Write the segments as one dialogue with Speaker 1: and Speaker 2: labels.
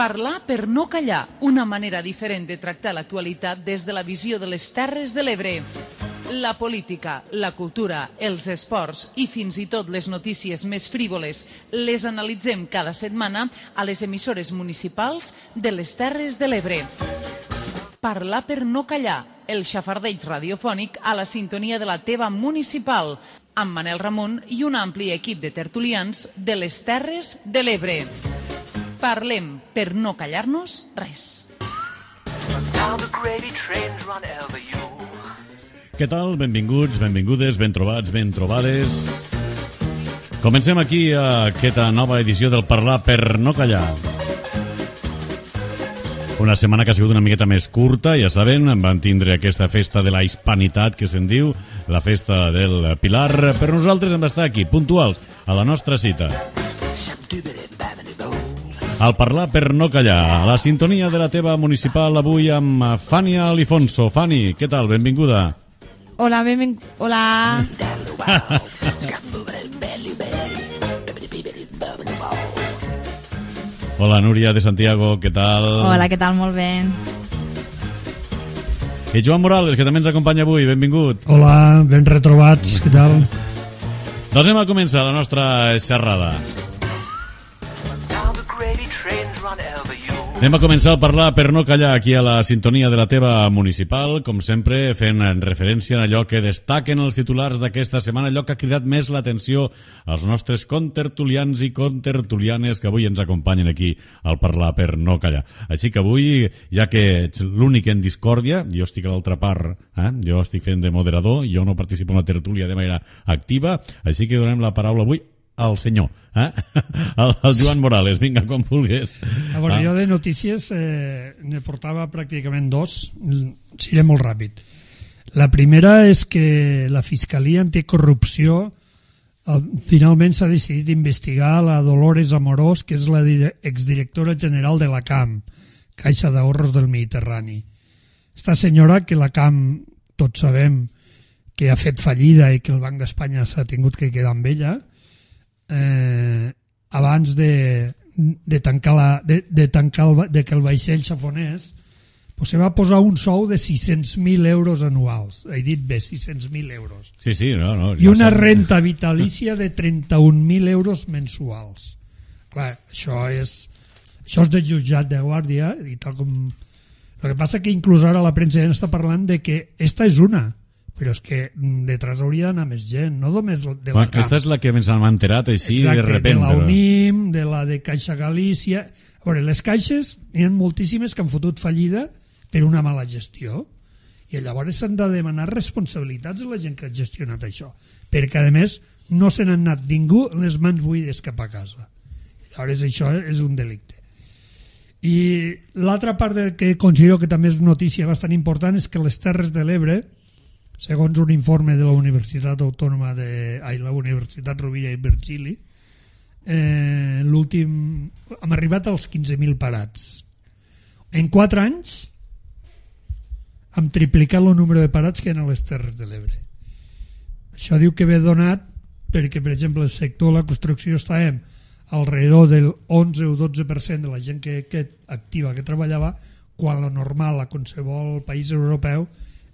Speaker 1: Parlar per no callar, una manera diferent de tractar l'actualitat des de la visió de les Terres de l'Ebre. La política, la cultura, els esports i fins i tot les notícies més frívoles les analitzem cada setmana a les emissores municipals de les Terres de l'Ebre. Parlar per no callar, el xafardeig radiofònic a la sintonia de la teva municipal, amb Manel Ramon i un ampli equip de tertulians de les Terres de l'Ebre. Parlem per no callar-nos res.
Speaker 2: Què tal? Benvinguts, benvingudes, ben trobats, ben trobades. Comencem aquí aquesta nova edició del Parlar per no callar. Una setmana que ha sigut una miqueta més curta, ja saben, van tindre aquesta festa de la hispanitat que se'n diu, la festa del Pilar, però nosaltres hem d'estar aquí, puntuals, a la nostra cita. Al Parlar per no callar, a la sintonia de la teva municipal avui amb Fania Alifonso. Fani, què tal? Benvinguda.
Speaker 3: Hola, hola.
Speaker 2: Hola, Núria de Santiago, què tal?
Speaker 3: Hola, què tal? Molt bé.
Speaker 2: I Joan Morales, que també ens acompanya avui, benvingut.
Speaker 4: Hola, ben retrobats, què tal?
Speaker 2: Doncs anem a començar la nostra xerrada. Anem a començar a parlar per no callar aquí a la sintonia de la teva municipal, com sempre fent referència a allò que destaquen els titulars d'aquesta setmana, allò que ha cridat més l'atenció als nostres contertulians i contertulianes que avui ens acompanyen aquí al Parlar per no callar. Així que avui, ja que ets l'únic en discòrdia, jo estic a l'altra part, jo estic fent de moderador, jo no participo en la tertúlia de manera activa, així que donem la paraula avui al senyor, el Joan Morales. Vinga, com vulguis.
Speaker 4: Jo de notícies ne portava pràcticament dos, seré molt ràpid. La primera és que la Fiscalia Anticorrupció finalment s'ha decidit investigar la Dolores Amorós, que és la exdirectora general de la CAM, Caixa d'Ahorros del Mediterrani. Esta senyora, que la CAM tots sabem que ha fet fallida i que el Banc d'Espanya s'ha tingut que quedar amb ella, abans de que el vaixell s'afonés, se va posar un sou de 600.000 euros anuals. He dit bé, 600.000 euros.
Speaker 2: Sí, no.
Speaker 4: I una renta vitalícia de 31.000 euros mensuals. Clar, això és de jutjat de guàrdia i tal com... El que passa que inclús ara la premsa ja està parlant de que esta és una, però és que detrás hauria d'anar més gent, no només de la CAM.
Speaker 2: Aquesta és la que ens hem enterat així.
Speaker 4: Exacte,
Speaker 2: de repente.
Speaker 4: De la UNIM, de la de Caixa Galícia... A veure, les caixes n'hi ha moltíssimes que han fotut fallida per una mala gestió, i llavors s'han de demanar responsabilitats a la gent que ha gestionat això, perquè a més no se n'han anat ningú les mans buides cap a casa. Llavors això és un delicte. I l'altra part que considero que també és notícia bastant important és que les Terres de l'Ebre, segons un informe de la Universitat Autònoma la Universitat Rovira i Virgili, hem arribat als 15.000 parats. En 4 anys hem triplicat el número de parats que hi ha a les Terres de l'Ebre. Això diu que ve donat perquè, per exemple, el sector de la construcció estàvem alrededor del 11 o 12% de la gent que activa que treballava, quan la normal a qualsevol país europeu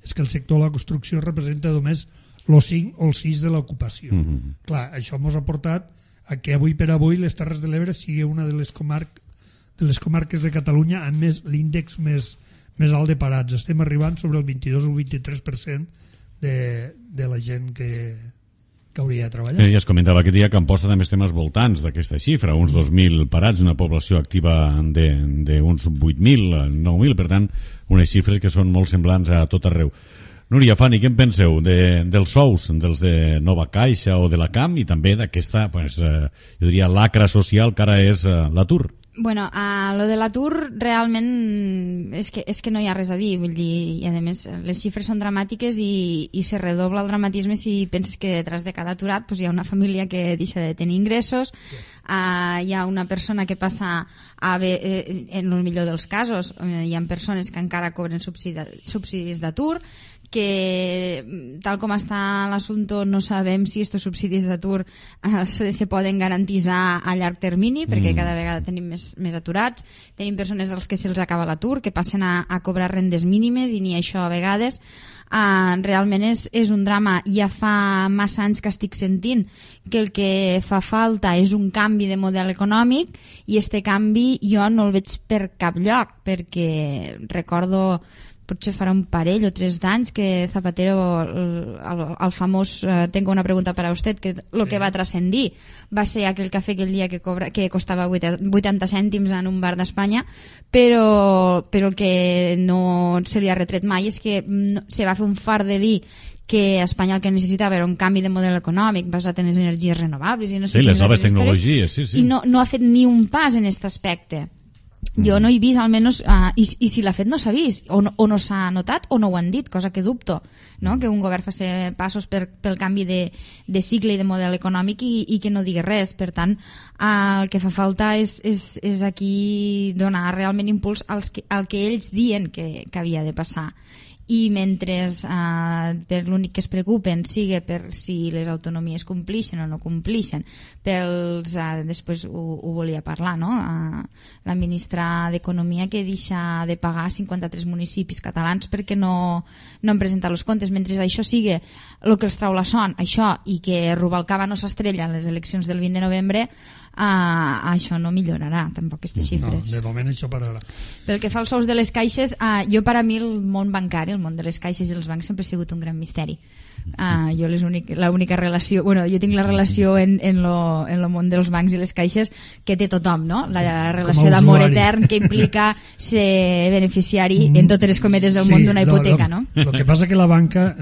Speaker 4: és que el sector de la construcció representa només el 5 o el 6 de l'ocupació. Clar, això ens ha portat a que avui per avui les Terres de l'Ebre sigui una de les comarques de Catalunya amb l'índex més alt de parats. Estem arribant sobre el 22 o el 23% de la gent que hauria de treballar.
Speaker 2: Ja es comentava aquest dia que Amposta també estem als voltants d'aquesta xifra, uns 2.000 parats, una població activa d'uns 8.000, 9.000, per tant, unes xifres que són molt semblants a tot arreu. Núria, Fani, què en penseu dels sous, dels de Nova Caixa o de la CAM, i també d'aquesta, jo diria, lacra social que ara és l'atur?
Speaker 3: Bueno, lo de l'atur realment és que no hi ha res a dir, vull dir, i a més les xifres són dramàtiques i se redobla el dramatisme si penses que detrás de cada aturat hi ha una família que deixa de tenir ingressos, hi ha una persona que passa a en el millor dels casos, hi ha persones que encara cobren subsidis d'atur, que tal com està l'assumpte no sabem si estos subsidis d'atur se poden garantitzar a llarg termini, perquè cada vegada tenim més aturats, tenim persones als que se'ls acaba l'atur, que passen a cobrar rendes mínimes i ni això a vegades. Realment és un drama. Ja fa massa anys que estic sentint que el que fa falta és un canvi de model econòmic, i este canvi jo no el veig per cap lloc, perquè recordo potser farà un parell o 3 d'anys que Zapatero, el famós tengo una pregunta para usted, que el que va transcendir va ser aquell cafè aquell dia que costava 80 cèntims en un bar d'Espanya, però el que no se li ha retret mai és que se va fer un fart de dir que Espanya el que necessitava era un canvi de model econòmic basat en les energies renovables i no sé
Speaker 2: les noves tecnologies,
Speaker 3: i no ha fet ni un pas en aquest aspecte. Jo no he vist, almenys, i si l'ha fet no s'ha vist, o no s'ha notat o no ho han dit, cosa que dubto, no? Que un govern faci passos pel canvi de cicle i de model econòmic i que no digui res. Per tant, el que fa falta és aquí donar realment impuls al que ells diuen que havia de passar. I mentre per l'únic que es preocupen sigui per si les autonomies complixen o no complixen, després ho volia parlar, no? La ministra d'Economia que deixa de pagar 53 municipis catalans perquè no han presentat els comptes. Mentre això sigui el que els trau la son, això, i que Rubalcaba no s'estrella a les eleccions del 20 de novembre, això no millorarà tampoc aquestes xifres.
Speaker 4: No, de moment això pararà.
Speaker 3: Pel que fa als sous de les caixes, per a mi el món bancari, el món de les caixes i els bancs sempre ha sigut un gran misteri. Jo l'única relació, jo tinc la relació en lo món dels bancs i les caixes que té tothom, no? La relació d'amor etern que implica ser beneficiari en totes les cometes del món d'una hipoteca, no?
Speaker 4: El que passa que la banca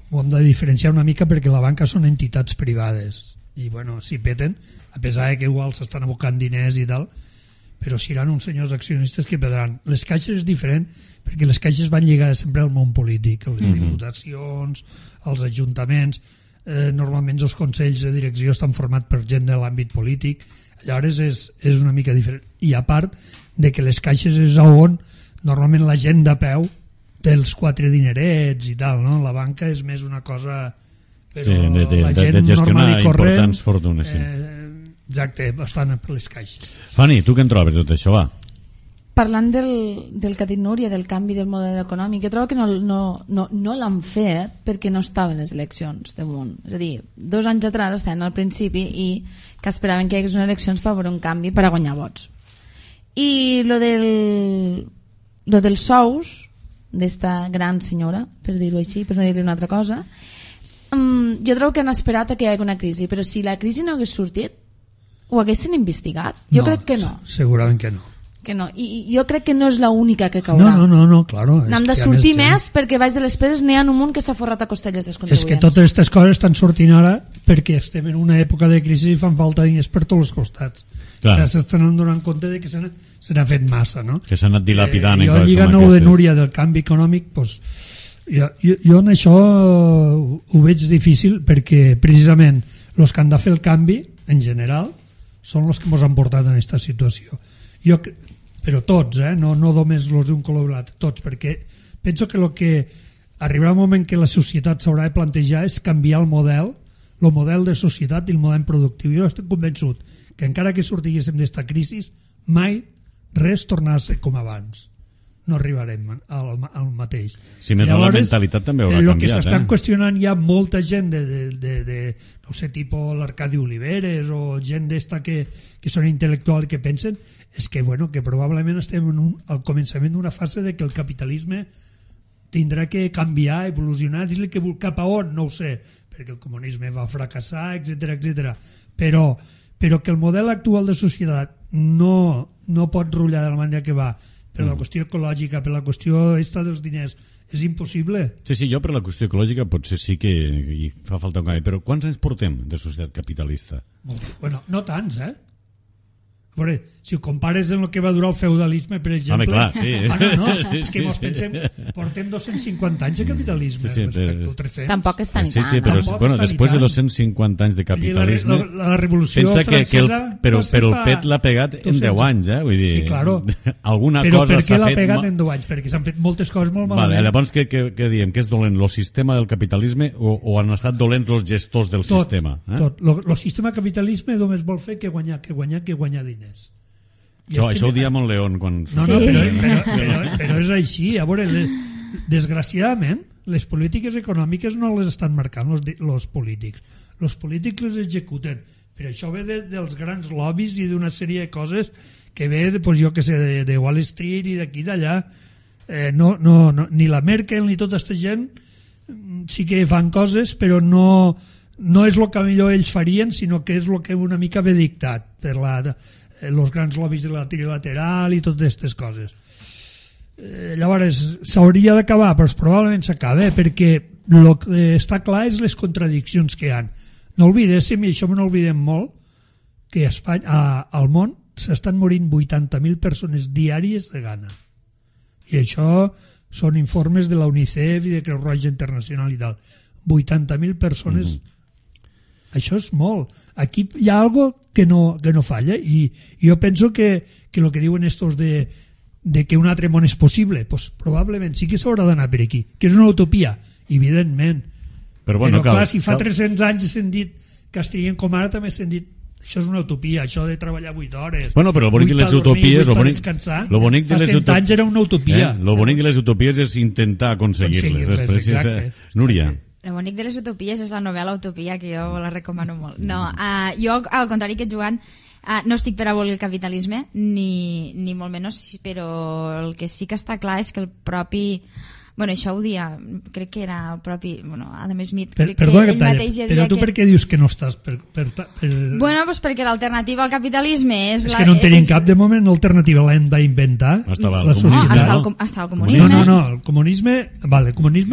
Speaker 4: ho hem de diferenciar una mica, perquè la banca són entitats privades i si peten, a pesar que igual s'estan abocant diners i tal, però seran uns senyors accionistes que perdran. Les caixes és diferent, perquè les caixes van lligades sempre al món polític, a les diputacions, als ajuntaments, normalment els consells de direcció estan formats per gent de l'àmbit polític, llavors és una mica diferent. I a part de que les caixes és on normalment la gent de peu té els 4 dinerets i tal, no? La banca és més una cosa... Però la gent
Speaker 2: de gestionar
Speaker 4: normal i corrent,
Speaker 2: importants fortunes, sí.
Speaker 4: Exacte, estan per les caixes.
Speaker 2: Fanny, tu què en trobes tot això, va?
Speaker 5: Parlant del que ha dit Núria, del canvi del model econòmic, jo trobo que no l'han fet perquè no estaven les eleccions damunt. És a dir, 2 anys atrás estaven al principi i que esperaven que hi hagués unes eleccions per veure un canvi per a guanyar vots. I lo dels sous d'esta gran senyora, per dir-ho així, per no dir-li una altra cosa, jo trobo que han esperat a que hi hagi una crisi, però si la crisi no hagués sortit, ho haguessin investigat? Jo crec que no.
Speaker 4: Segurament que no.
Speaker 5: Que no. I jo crec que no és l'única que caurà.
Speaker 4: No, claro.
Speaker 5: N'hem de sortir més perquè baix de les pedres n'hi ha un munt que s'ha forrat a costelles dels contribuents.
Speaker 4: És que totes aquestes coses estan sortint ara perquè estem en una època de crisi i fan falta diners per tots els costats. Ja s'estan donant compte de que se n'ha fet massa, no?
Speaker 2: Que s'ha anat dilapidant.
Speaker 4: Jo lligant el de Núria del canvi econòmic, doncs, jo en això ho veig difícil, perquè precisament els que han de fer el canvi en general són els que ens han portat en aquesta situació. Però tots, no només els d'un color o l'altre, tots, perquè penso que el que arribarà un moment que la societat s'haurà de plantejar és canviar el model de societat i el model productiu. Jo estic convençut que encara que sortíssim d'esta crisi, mai res tornarà a ser com abans. No arribarem al mateix.
Speaker 2: Si més la mentalitat també haurà canviat.
Speaker 4: El que s'estan qüestionant hi ha molta gent de no sé, tipus l'Arcadi Oliveres o gent d'esta que són intel·lectuals que pensen, és que, que probablement estem al començament d'una fase de que el capitalisme tindrà que canviar, evolucionar, dir-li que cap a on, no ho sé, perquè el comunisme va fracassar, etc. Però que el model actual de societat no pot rotllar de la manera que va, per la qüestió ecològica, per la qüestió dels diners, és impossible.
Speaker 2: Sí, jo per la qüestió ecològica potser sí que hi fa falta un canvi, però quants anys portem de societat capitalista?
Speaker 4: No tants, A veure, si ho compares amb el que va durar el feudalisme, per exemple...
Speaker 2: Home, clar, sí.
Speaker 4: És que mos pensem, portem 250 anys de capitalisme respecte al 300.
Speaker 5: Tampoc és tan i tant.
Speaker 2: Sí, però després de 250 anys de capitalisme...
Speaker 4: La revolució
Speaker 2: francesa... Però el PET l'ha pegat en 10 anys, Vull dir,
Speaker 4: sí, claro.
Speaker 2: Alguna
Speaker 4: però
Speaker 2: cosa s'ha fet...
Speaker 4: Però per què l'ha pegat en 10 anys? Perquè s'han fet moltes coses molt malament.
Speaker 2: Vale, llavors, què diem? Que és dolent el sistema del capitalisme o han estat dolents els gestors del sistema?
Speaker 4: Tot. El sistema capitalisme només vol fer que guanyar diners.
Speaker 2: Això ho diem en León quan...
Speaker 4: No, però és així. A veure, desgraciadament, les polítiques econòmiques no les estan marcant els polítics. Els polítics les executen. Per això ve dels grans lobbies i d'una sèrie de coses que ve, jo que sé, de Wall Street i d'aquí d'allà. Ni la Merkel ni tota aquesta gent sí que fan coses, però no és el que millor ells farien, sinó que és el que una mica ve dictat per els grans lobbies de la trilateral i totes aquestes coses. Llavors s'hauria d'acabar, però probablement s'acaba, perquè el que està clar és les contradiccions que hi ha. No oblidéssim, i això no oblidem molt, que a Espanya, al món s'estan morint 80.000 persones diàries de gana, i això són informes de la UNICEF i de Creu Roja Internacional i tal. 80.000 persones. Això és molt. Aquí hi ha algo que no falla, i jo penso que el que diuen estos de que un altre món és possible, pues probablement sí que s'haurà d'anar per aquí, que és una utopia, evidentment. Però clar, si fa 300 anys s'han dit que estarien com ara, també s'han dit això és una utopia, això de treballar 8 hores.
Speaker 2: Bueno, però el bonic de les utopies...
Speaker 4: Fa 100 anys era una utopia.
Speaker 2: El bonic de les utopies és intentar aconseguir-les.
Speaker 4: Exacte.
Speaker 2: Núria.
Speaker 3: El bonic de les utopies és la novel·la Utopia, que jo la recomano molt. No, jo, al contrari que Joan, no estic per abolir el capitalisme, ni molt menys, però el que sí que està clar és que el propi... Bueno, això ho dia, crec que era el propi Adam Smith.
Speaker 4: Perdona que talli, però tu per què dius que no estàs
Speaker 3: Bueno, doncs perquè l'alternativa al capitalisme és...
Speaker 4: És que no en tenim cap, de moment l'alternativa l'hem d'inventar.
Speaker 2: Estava
Speaker 4: el comunisme.
Speaker 3: Està el comunisme.
Speaker 4: No, el comunisme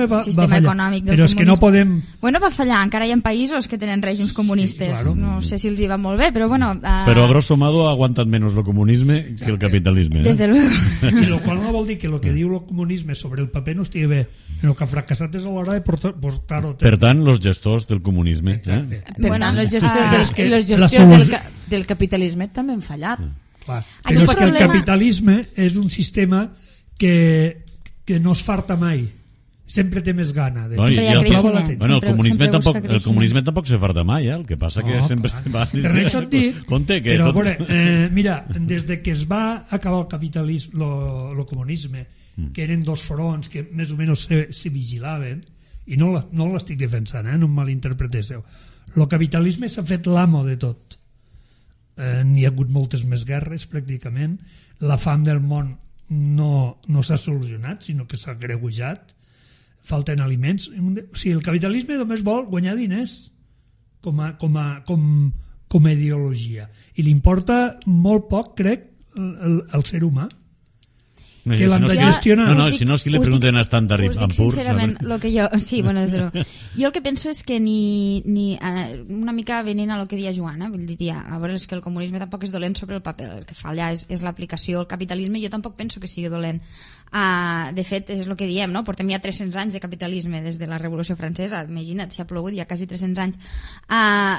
Speaker 4: va fallar, però és que no podem...
Speaker 3: Bueno, va fallar, encara hi ha països que tenen règims comunistes, sí, claro. No sé si els hi va molt bé, però bueno...
Speaker 2: Però a grosso modo ha aguantat menys el comunisme que el capitalisme.
Speaker 3: Desde luego.
Speaker 4: I lo qual no vol dir que el que diu el comunisme sobre el paper no estigui bé, el que ha fracassat és a l'hora de portar-ho.
Speaker 2: Per tant, els gestors del comunisme.
Speaker 5: Per tant, els gestors del capitalisme també han fallat.
Speaker 4: Però és que el capitalisme és un sistema que no es farta mai. Sempre té més gana.
Speaker 2: El comunisme tampoc se farta mai, el que passa que sempre va...
Speaker 4: Per això et dic, però mira, des que es va acabar el capitalisme, el comunisme, que eren dos fronts que més o menys se vigilaven, i no l'estic defensant, no em malinterpreteu, el capitalisme s'ha fet l'amo de tot. N'hi ha hagut moltes més guerres pràcticament, la fam del món no s'ha solucionat, sinó que s'ha agreujat, falten aliments. O sigui, el capitalisme només vol guanyar diners com a ideologia, i li importa molt poc, crec, el ser humà, que l'han de gestionar.
Speaker 2: Si no és que li pregunten a Standard & Poor's.
Speaker 3: Sincerament, lo que jo... Sí, bueno, des de luego. Jo el que penso és que una mica venint a lo que deia Joan, vull dir, a veure, és que el comunisme tampoc és dolent sobre el paper, el que fa allà és l'aplicació. El capitalisme jo tampoc penso que sigui dolent. De fet, és el que diem, no? Portem ja 300 anys de capitalisme des de la Revolució Francesa, imagina't, si ha plogut ja quasi 300 anys.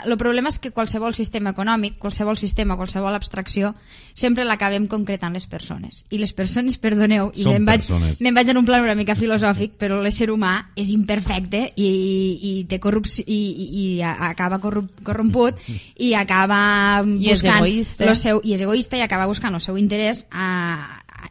Speaker 3: El problema és que qualsevol sistema econòmic, qualsevol sistema, qualsevol abstracció, sempre l'acabem concretant les persones. I les persones, perdoneu, i me'n vaig en un plan una mica filosòfic, però l'ésser humà és imperfecte i té corrupció i acaba corromput i acaba buscant i és egoista i acaba buscant el seu interès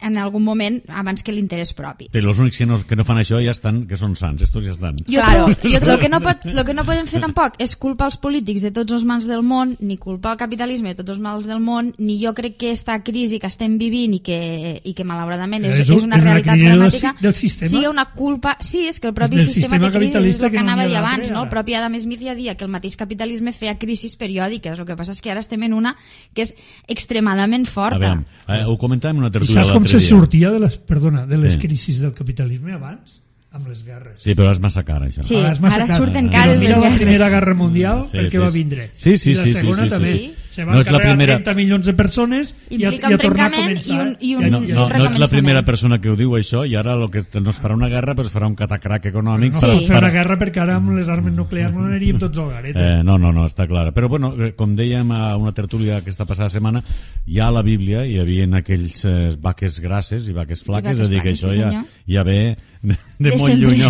Speaker 3: en algun moment abans que l'interès propi.
Speaker 2: Però els únics que no fan això ja estan, que són sants, estos ja estan.
Speaker 3: Claro, el que no podem fer tampoc és culpar els polítics de tots els mals del món, ni culpar el capitalisme de tots els mals del món, ni jo crec que esta crisi que estem vivint i que malauradament és una realitat dramàtica sigui una culpa. Sí, és que el propi sistema de crisi és el que anava a dir abans, no? El propi Adam Smith ja dia que el mateix capitalisme feia crisis periòdiques, el que passa és que ara estem en una que és extremadament forta.
Speaker 2: Ho comentàvem en una tertúlia
Speaker 4: com se sortia de les crisis del capitalisme abans, amb les guerres.
Speaker 2: Sí, però és massa car, això.
Speaker 3: Sí, ara surten cares les guerres.
Speaker 4: La Primera Guerra Mundial, perquè va vindre.
Speaker 2: Sí,
Speaker 4: I la segona també. Se van carregar 30 milions de persones i a tornar a començar.
Speaker 2: No ets la primera persona que ho diu això, i ara el que no es farà una guerra però es farà un catacrac econòmic.
Speaker 4: No pot fer una guerra perquè ara amb les armes nuclears no aniríem tots al garet.
Speaker 2: No, està clar. Però bueno, com dèiem a una tertúlia aquesta passada setmana, ja a la Bíblia hi havia aquells vaques grasses i vaques flaques, és a dir que això ja ve de molt lluny,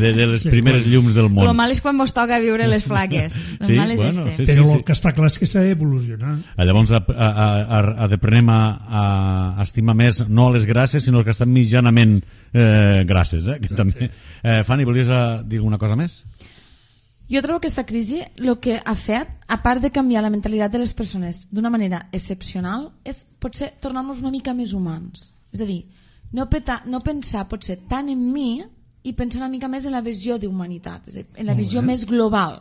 Speaker 2: de les primeres llums del món.
Speaker 3: Lo mal és quan vos toca viure les flaques.
Speaker 4: Però el que està clar és que s'ha d'evolucionar.
Speaker 2: Llavors aprenem a estimar més no a les grasses sinó que estan mitjanament grasses, que també. Fanny, volies dir alguna cosa més?
Speaker 5: Jo trobo que aquesta crisi el que ha fet, a part de canviar la mentalitat de les persones d'una manera excepcional, és potser tornar-nos una mica més humans. És a dir, no pensar potser tant en mi i pensar una mica més en la visió d'humanitat, és a dir, en la visió més global.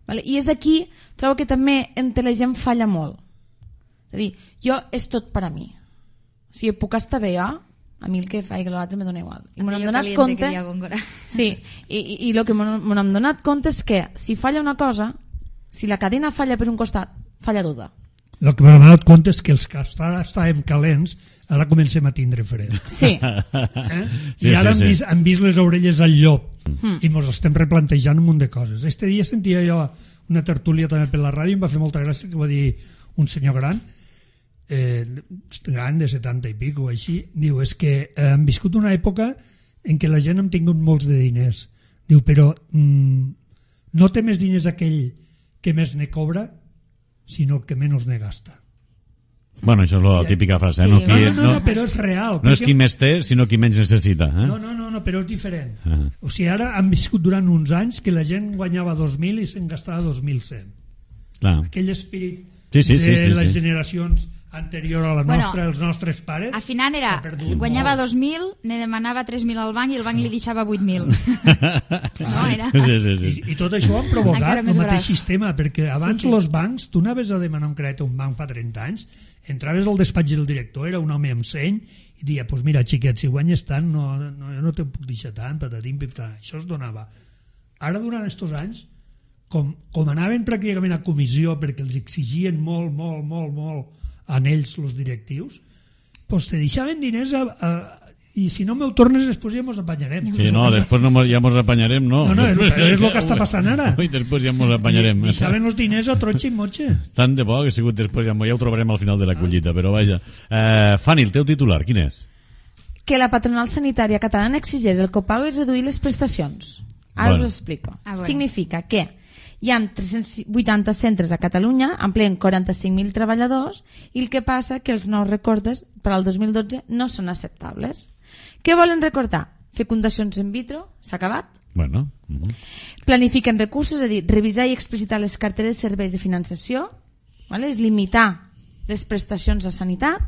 Speaker 5: Vale? I és aquí, trobo que també entre la gent falla molt. És a dir, jo és tot per a mi. O sigui, puc estar bé jo, a mi el que faig que l'altre me dona igual. I m'hem donat compte... Sí, i el que m'hem donat compte és que si falla una cosa, si la cadena falla per un costat, falla tota.
Speaker 4: El que m'hem donat compte és que els que estàvem calents ara comencem a tindre fred.
Speaker 5: Sí.
Speaker 4: I ara hem vist les orelles al llop i ens estem replantejant un munt de coses. Este dia sentia jo una tertúlia també per la ràdio i em va fer molta gràcia que va dir un senyor gran de 70 i pico o així, diu, és que hem viscut una època en què la gent hem tingut molts de diners. Diu, però no té més diners aquell que més ne cobra sinó el que menys ne gasta.
Speaker 2: Bueno, això és la típica frase.
Speaker 4: Sí. No, però és real.
Speaker 2: No és qui més té, sinó qui menys necessita.
Speaker 4: No, però és diferent. O sigui, ara han viscut durant uns anys que la gent guanyava 2.000 i se'n gastava 2.100. Aquell espírit de les generacions anterior a la nostra, els nostres pares.
Speaker 3: Al final guanyava 2.000, ne demanava 3.000 al banc i el banc li deixava 8.000.
Speaker 4: I tot això ho han provocat el mateix sistema, perquè abans els bancs, tu anaves a demanar un crèdit a un banc fa 30 anys, entraves al despatx del director, era un home amb seny, i deia, pues mira, xiquet, si guanyes tant, no te puc deixar tant, patatim, pitatim. Això es donava. Ara, durant aquests anys, com anaven pràcticament a comissió perquè els exigien molt a ells, els directius, pues te deixaven diners i si no me'l tornes després ja mos apanyarem.
Speaker 2: Sí, no, després ja mos apanyarem, no.
Speaker 4: No, és el que està passant ara.
Speaker 2: I després ja mos apanyarem.
Speaker 4: Deixaven els diners a trotxa i motxa.
Speaker 2: Tant de bo que ha sigut després, ja ho trobarem al final de la collita, però vaja. Fanny, el teu titular, quin és?
Speaker 5: Que la patronal sanitària catalana exigeix el copago i reduir les prestacions. Ara us ho explico. Significa que hi ha 380 centres a Catalunya, empleen 45.000 treballadors, i el que passa que els nous recortes per al 2012 no són acceptables. Què volen recortar? Fecundacions in vitro, s'ha acabat.
Speaker 2: Bueno.
Speaker 5: Planifiquen recursos, és a dir, revisar i explicitar les carteres de serveis de finançació, és limitar les prestacions a sanitat,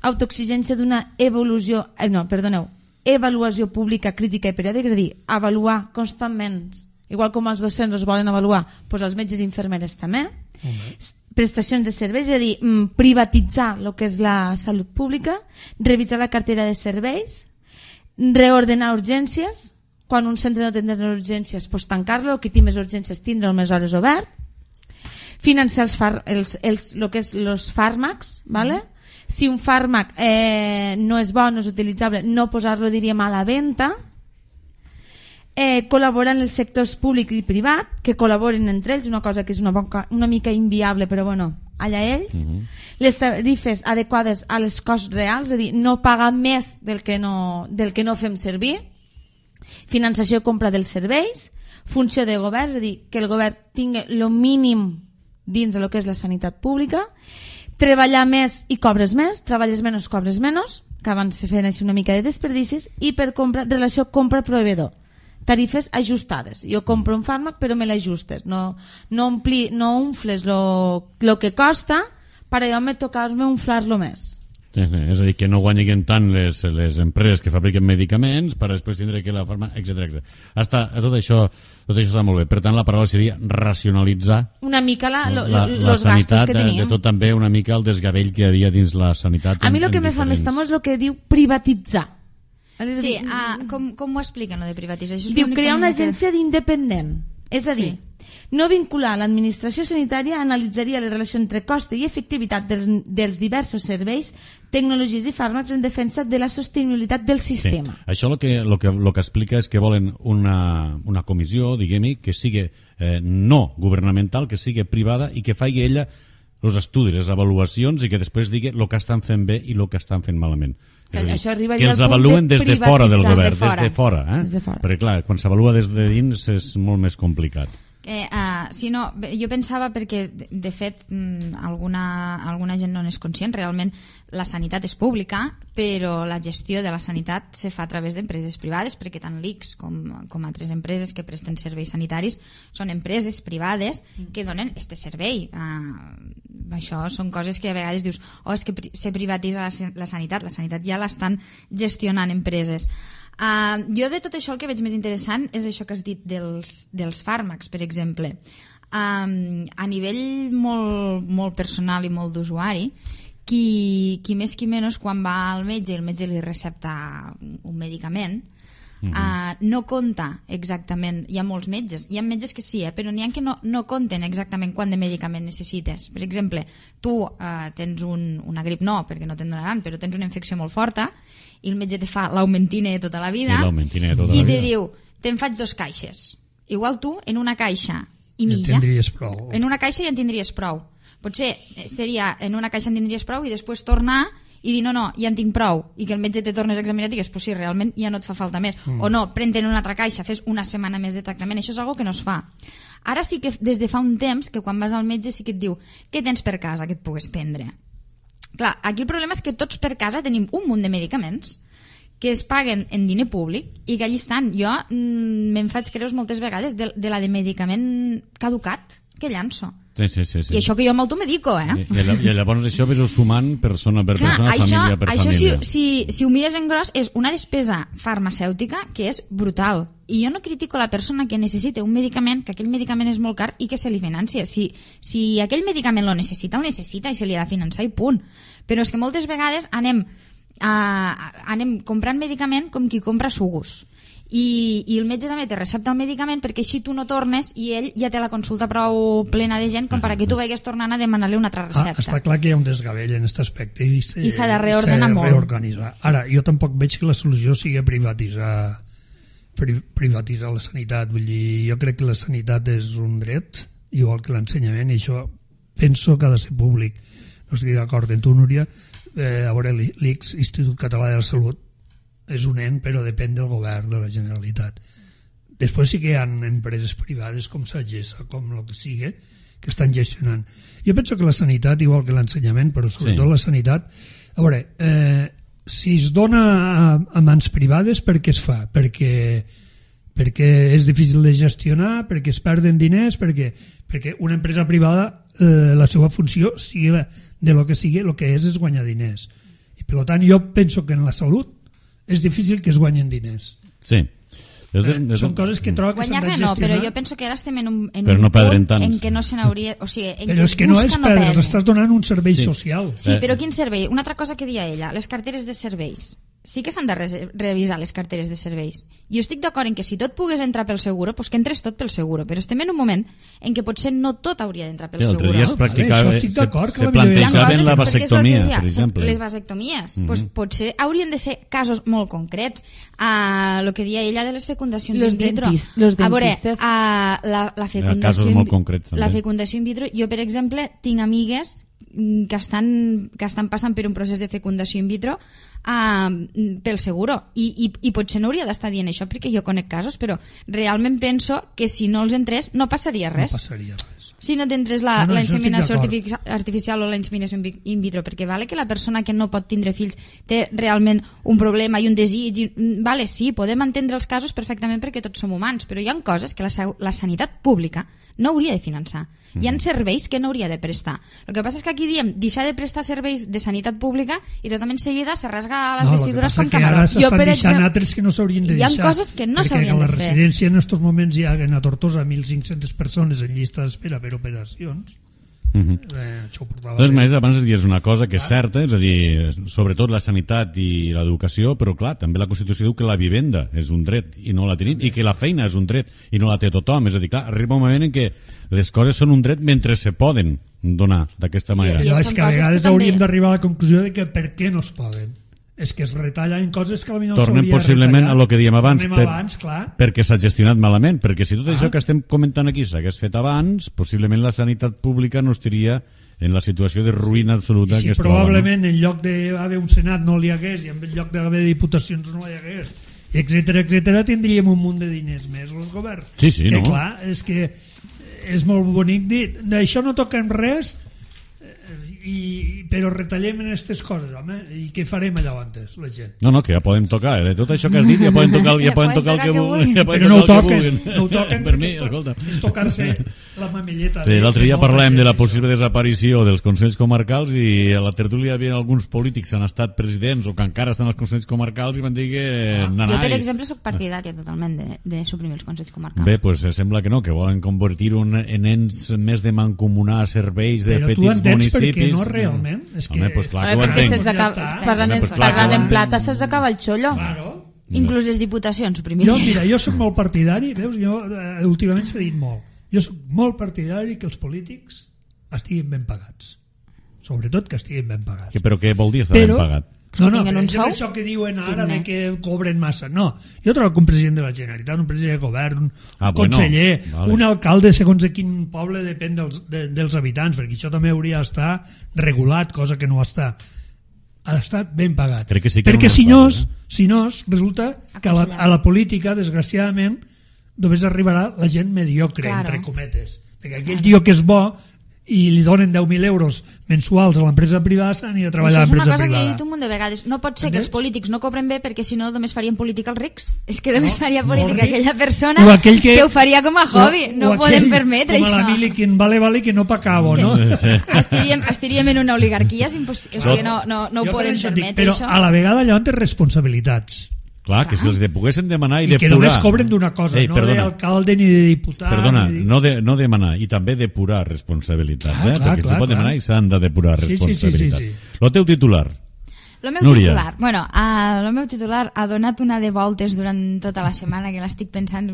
Speaker 5: autoexigència d'una avaluació pública, crítica i periòdica, és a dir, avaluar constantment. Igual com els docents es volen avaluar, doncs els metges i infermeres també. Prestacions de serveis, és a dir, privatitzar el que és la salut pública, revisar la cartera de serveis, reordenar urgències, quan un centre no tindrà urgències, doncs tancar-lo, qui té més urgències tindrà més hores obert, financiar el que és els fàrmacs, si un fàrmac no és bo, no és utilitzable, no posar-lo, diríem, a la venda, col·laborar en els sectors públic i privat, que col·laboren entre ells, una cosa que és una mica inviable, però bueno, allà ells. Les tarifes adequades a les costs reals, és a dir, no pagar més del que no fem servir. Finançació i compra dels serveis, funció de govern, és a dir, que el govern tingui el mínim dins del que és la sanitat pública, treballar més i cobres més, treballes menys, cobres menys, que abans se feien així una mica de desperdicis, i per relació compra-proveïdor, tarifes ajustades. Jo compro un fàrmac però me l'ajustes, no umfles el que costa per allò me tocar-me umflar-lo més.
Speaker 2: És a dir, que no guanyin tant les empreses que fabriquen medicaments per després tindre que la farmàcia, etc. Tot això està molt bé. Per tant, la paraula seria racionalitzar
Speaker 5: una mica
Speaker 2: la sanitat, que teníem. De tot també una mica el desgavell que hi havia dins la sanitat.
Speaker 5: A mi el que me fa més temor és el que diu privatitzar.
Speaker 3: Sí, com ho expliquen, lo de privatitzar?
Speaker 5: Diu crear una agència d'independent. És a dir, No vincular l'administració sanitària analitzaria la relació entre cost i efectivitat dels diversos serveis, tecnologies i fàrmacs en defensa de la sostenibilitat del sistema.
Speaker 2: Sí. Això lo que explica és que volen una comissió, diguem-hi, que sigui no governamental, que sigui privada i que faci ella els estudis, les avaluacions i que després digui el que estan fent bé i el que estan fent malament.
Speaker 5: Que això arribaria
Speaker 2: que els
Speaker 5: al punt
Speaker 2: avaluen
Speaker 5: de
Speaker 2: des de fora del govern,
Speaker 5: privatitzar.
Speaker 2: des de fora.
Speaker 5: Des de fora.
Speaker 2: Perquè clar, quan s'avalua des de dins és molt més complicat.
Speaker 3: Sí, no, jo pensava perquè de fet alguna gent no n'és conscient, realment la sanitat és pública, però la gestió de la sanitat se fa a través d'empreses privades, perquè tant l'ICS com altres empreses que presten serveis sanitaris són empreses privades que donen este servei. Això són coses que a vegades dius és que se privatitza la sanitat ja l'estan gestionant empreses. Jo de tot això el que veig més interessant és això que has dit dels fàrmacs, per exemple. A nivell molt personal i molt d'usuari, qui més qui menys quan va al metge i el metge li recepta un medicament, no compta exactament. Hi ha molts metges, hi ha metges que sí, però n'hi ha que no compten exactament quant de medicament necessites. Per exemple, tu tens una grip, no, perquè no te'n donaran, però tens una infecció molt forta i el metge te fa l'aumentine de tota la vida i te diu, te'n faig 2 caixes. Igual tu en una caixa i mitja, en una caixa ja en tindries prou. Potser seria en una caixa en tindries prou i després tornar i dir no, ja en tinc prou, i que el metge te tornes a examinar i digues, pues sí, realment ja no et fa falta més, o no, pren-te'n una altra caixa, fes una setmana més de tractament. Això és una cosa que no es fa. Ara sí que des de fa un temps que quan vas al metge sí que et diu què tens per casa que et pugues prendre. Clar, aquí el problema és que tots per casa tenim un munt de medicaments que es paguen en diner públic i que allí estan. Jo me'n faig creus moltes vegades de la de medicament caducat que llanço.
Speaker 2: Sí.
Speaker 3: I això que jo m'automedico,
Speaker 2: I llavors això ves sumant persona per persona, família per família.
Speaker 3: Això, si ho mires en gros, és una despesa farmacèutica que és brutal. I jo no critico la persona que necessita un medicament, que aquell medicament és molt car i que se li financia. Si aquell medicament lo necessita i se li ha de finançar i punt. Però és que moltes vegades anem comprant medicament com qui compra sugus. I el metge també te recepta el medicament perquè així tu no tornes i ell ja té la consulta prou plena de gent com perquè tu vagis tornant a demanar-li una altra recepta.
Speaker 4: Està clar que hi ha un desgavell en aquest aspecte i
Speaker 3: s'ha de reordenar molt.
Speaker 4: Ara, jo tampoc veig que la solució sigui privatitzar la sanitat. Vull dir, jo crec que la sanitat és un dret, igual que l'ensenyament, i això penso que ha de ser públic. No estic d'acord amb tu, Núria. A veure, l'ICS, Institut Català de la Salut, és un ent, però depèn del govern de la Generalitat. Després sí que hi ha empreses privades com Sagessa, com el que sigui, que estan gestionant. Jo penso que la sanitat, igual que l'ensenyament, però sobretot la sanitat, a veure, si es dona a mans privades, per què es fa? Perquè és difícil de gestionar, perquè es perden diners, perquè una empresa privada, la seva funció, sigui de lo que sigui, el que és guanyar diners. I per tant, jo penso que en la salut és difícil que es guanyen diners.
Speaker 2: Sí.
Speaker 4: Són coses que trobo que s'han de gestionar.
Speaker 3: Però jo penso que ara estem en un
Speaker 2: punt
Speaker 3: en què no se n'hauria... O sigui,
Speaker 4: però és que no és perdre, estàs donant un servei social.
Speaker 3: Sí, però quin servei? Una altra cosa que deia ella, les carteres de serveis. Sí que s'han de revisar les carteres de serveis. Jo estic d'acord en que si tot pogués entrar pel seguro, doncs que entres tot pel seguro, però estem en un moment en què potser no tot hauria d'entrar pel seguro.
Speaker 2: Se plantejaven la vasectomia, per exemple.
Speaker 3: Les vasectomies. Potser haurien de ser casos molt concrets. El que deia ella de les fecundacions in vitro. A veure, la fecundació in vitro, jo per exemple tinc amigues que estan passant per un procés de fecundació in vitro pel seguro i potser no hauria d'estar dient això perquè jo conec casos, però realment penso que si no els entrés no passaria res. Si no t'entres la inseminació artificial o la inseminació in vitro, perquè vale que la persona que no pot tindre fills té realment un problema i un desig, vale, sí, podem entendre els casos perfectament perquè tots som humans, però hi ha coses que la sanitat pública no hauria de finançar. Hi ha serveis que no hauria de prestar. El que passa és que aquí diem deixar de prestar serveis de sanitat pública i totalment seguida se rasga les vestidures com camarot.
Speaker 4: Jo, per exemple, altres que no s'haurien de deixar.
Speaker 3: Hi ha coses que no s'haurien de fer.
Speaker 4: Perquè a la residència en aquests moments hi ha a Tortosa 1.500 persones en llista d'espera per operacions. Això ho portava
Speaker 2: Doncs
Speaker 4: bé.
Speaker 2: més, abans dius una cosa que és certa, és a dir, sobretot la sanitat i l'educació, però clar, també la Constitució diu que la vivenda és un dret i no la tenim, i que la feina és un dret i no la té tothom. És a dir, clar, arriba un moment en què les coses són un dret mentre se poden donar d'aquesta manera.
Speaker 3: I
Speaker 4: Però és
Speaker 3: són
Speaker 4: que a
Speaker 3: coses
Speaker 4: vegades
Speaker 3: que també-
Speaker 4: hauríem d'arribar a la conclusió de que per què no es poden. És que es retallen coses que potser no
Speaker 2: Tornem
Speaker 4: s'hauria
Speaker 2: possiblement a
Speaker 4: retallat.
Speaker 2: lo que diem abans,
Speaker 4: Tornem abans, clar.
Speaker 2: perquè s'ha gestionat malament, perquè si tot això que estem comentant aquí s'hagués fet abans, possiblement la sanitat pública no estaria en la situació de ruïna absoluta
Speaker 4: I si
Speaker 2: que es troba.
Speaker 4: probablement en lloc d'haver un Senat no n'hi hagués i en lloc d'haver diputacions no hi hagués, etcètera, tindríem un munt de diners més els governs.
Speaker 2: Sí, sí,
Speaker 4: que
Speaker 2: no?
Speaker 4: clar, és que és molt bonic dir d'això no toquem res, però retallem en aquestes coses, home, i què farem allà antes, la gent?
Speaker 2: No, que ja podem tocar, de tot això que has dit ja poden tocar, ja poden tocar el que vulguin. Ja poden
Speaker 4: Però no ho
Speaker 2: tocar el que
Speaker 4: toquen,
Speaker 2: vulguin.
Speaker 4: no ho toquen
Speaker 2: Per mi,
Speaker 4: perquè
Speaker 2: escolta.
Speaker 4: és tocar-se la mamelleta.
Speaker 2: Sí, l'altre dia
Speaker 4: molta
Speaker 2: parlàvem
Speaker 4: gent,
Speaker 2: de la
Speaker 4: això.
Speaker 2: possible desaparició dels Consells Comarcals i a la tertúlia hi havia alguns polítics que han estat presidents o que encara estan als Consells Comarcals i van dir que
Speaker 3: Jo, per exemple, sóc partidària totalment de suprimir els consells comarcals.
Speaker 2: Bé, pues sembla que no, que volen convertir-ho en ens més de mancomunar serveis de
Speaker 4: Però tu
Speaker 2: petits
Speaker 4: entens per
Speaker 2: municipis.
Speaker 4: què no realment? És que...
Speaker 2: Home, pues clar que ho
Speaker 5: perquè
Speaker 2: entenc.
Speaker 5: se'ls acaba,
Speaker 4: Ja està.
Speaker 5: parlant,
Speaker 2: Home, pues clar,
Speaker 5: parlant
Speaker 2: que
Speaker 5: en
Speaker 2: ho
Speaker 5: plata se'ls acaba el xollo.
Speaker 4: Claro.
Speaker 3: Inclús les diputacions suprimirien.
Speaker 4: Jo, mira, jo soc molt partidari, veus, jo últimament s'ha dit molt, jo soc molt partidari que els polítics estiguin ben pagats, sobretot que estiguin ben pagats.
Speaker 2: Però què vol dir estar ben pagat?
Speaker 4: No,
Speaker 3: tinguen
Speaker 4: per
Speaker 3: un
Speaker 4: exemple,
Speaker 3: sou
Speaker 4: això que diuen ara
Speaker 3: digne.
Speaker 4: de que cobren massa, no, jo trobo que un president de la Generalitat, un president de govern, un
Speaker 2: Ah, bueno,
Speaker 4: conseller,
Speaker 2: vale.
Speaker 4: un alcalde, segons de quin poble depèn dels habitants, perquè això també hauria d'estar regulat, cosa que no està. Ha d'estar ben pagat.
Speaker 2: Crec que sí que
Speaker 4: perquè
Speaker 2: era una
Speaker 4: si no, resulta que a la política, desgraciadament, només arribarà la gent mediocre,
Speaker 3: Claro.
Speaker 4: entre cometes. Perquè aquell tio que és bo i li donen 10.000 euros mensuals a l'empresa privada s'anirà a treballar a
Speaker 3: Això és una
Speaker 4: l'empresa
Speaker 3: cosa que he
Speaker 4: privada.
Speaker 3: dit un munt de vegades. No pot ser que
Speaker 4: Entens?
Speaker 3: els polítics no cobren bé perquè si no només farien política els rics. És que només faria
Speaker 4: molt
Speaker 3: política
Speaker 4: ric.
Speaker 3: aquella persona
Speaker 4: O aquell que
Speaker 3: ho faria com a hobby. No ho podem permetre,
Speaker 4: com a
Speaker 3: això.
Speaker 4: la mili, quien vale, que no pa cabo, no?
Speaker 3: Estaríem en una oligarquia, és impossible. O sigui, no ho
Speaker 4: Jo per
Speaker 3: podem
Speaker 4: això dic,
Speaker 3: permetre,
Speaker 4: però
Speaker 3: això.
Speaker 4: a la vegada allò té responsabilitats.
Speaker 2: Clar, que si els poguessin demanar i
Speaker 4: I que
Speaker 2: depurar.
Speaker 4: només cobren d'una cosa,
Speaker 2: Ei,
Speaker 4: no
Speaker 2: perdona,
Speaker 4: d'alcalde ni de diputat.
Speaker 2: Perdona,
Speaker 4: ni de...
Speaker 2: no demanar, i també depurar responsabilitats,
Speaker 4: Clar, clar,
Speaker 2: perquè
Speaker 4: clar,
Speaker 2: se pot
Speaker 4: clar.
Speaker 2: demanar i s'han de depurar
Speaker 4: Sí, sí,
Speaker 2: responsabilitats.
Speaker 4: sí, sí,
Speaker 2: Lo teu titular.
Speaker 3: El meu
Speaker 2: Núria.
Speaker 3: titular, el meu titular ha donat una de voltes durant tota la setmana, que l'estic pensant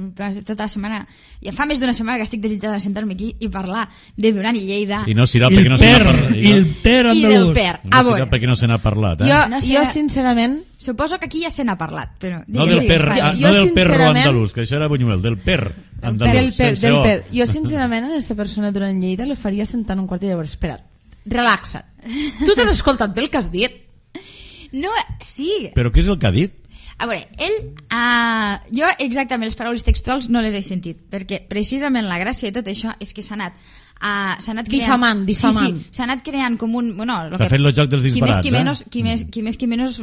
Speaker 3: tota la setmana, ja fa més d'una setmana que estic desitjant de sentar-me aquí i parlar de Duran i Lleida.
Speaker 2: I no serà
Speaker 4: I
Speaker 2: perquè
Speaker 4: el
Speaker 2: no se n'ha
Speaker 4: per,
Speaker 2: parlat.
Speaker 4: i el per
Speaker 3: I del
Speaker 4: andalús.
Speaker 3: per.
Speaker 2: No
Speaker 3: A
Speaker 2: serà
Speaker 3: veure,
Speaker 2: perquè no se n'ha parlat, eh?
Speaker 3: No sé,
Speaker 5: Jo, sincerament,
Speaker 3: suposo que aquí ja se n'ha parlat, però...
Speaker 2: No
Speaker 3: digues,
Speaker 2: del per,
Speaker 3: digues, va.
Speaker 5: Jo,
Speaker 2: no del perro
Speaker 5: sincerament-
Speaker 2: andalús, que això era Buñuel, del per andalús.
Speaker 5: del per,
Speaker 2: sense
Speaker 5: del
Speaker 2: O.
Speaker 5: per. Jo, sincerament, a aquesta persona durant Lleida la faria sentar un quart i llavors, espera't, relaxa't. Tu t'has escoltat bé el que has dit?
Speaker 3: No, sí.
Speaker 2: Però què és el que ha dit?
Speaker 3: A veure, ell... jo exactament les paraules textuals no les he sentit, perquè precisament la gràcia de tot això és que s'ha anat creant...
Speaker 5: Difamant.
Speaker 3: Sí, s'ha anat creant com un... Bueno,
Speaker 2: S'ha fet el joc dels disbarats,
Speaker 3: qui més qui menys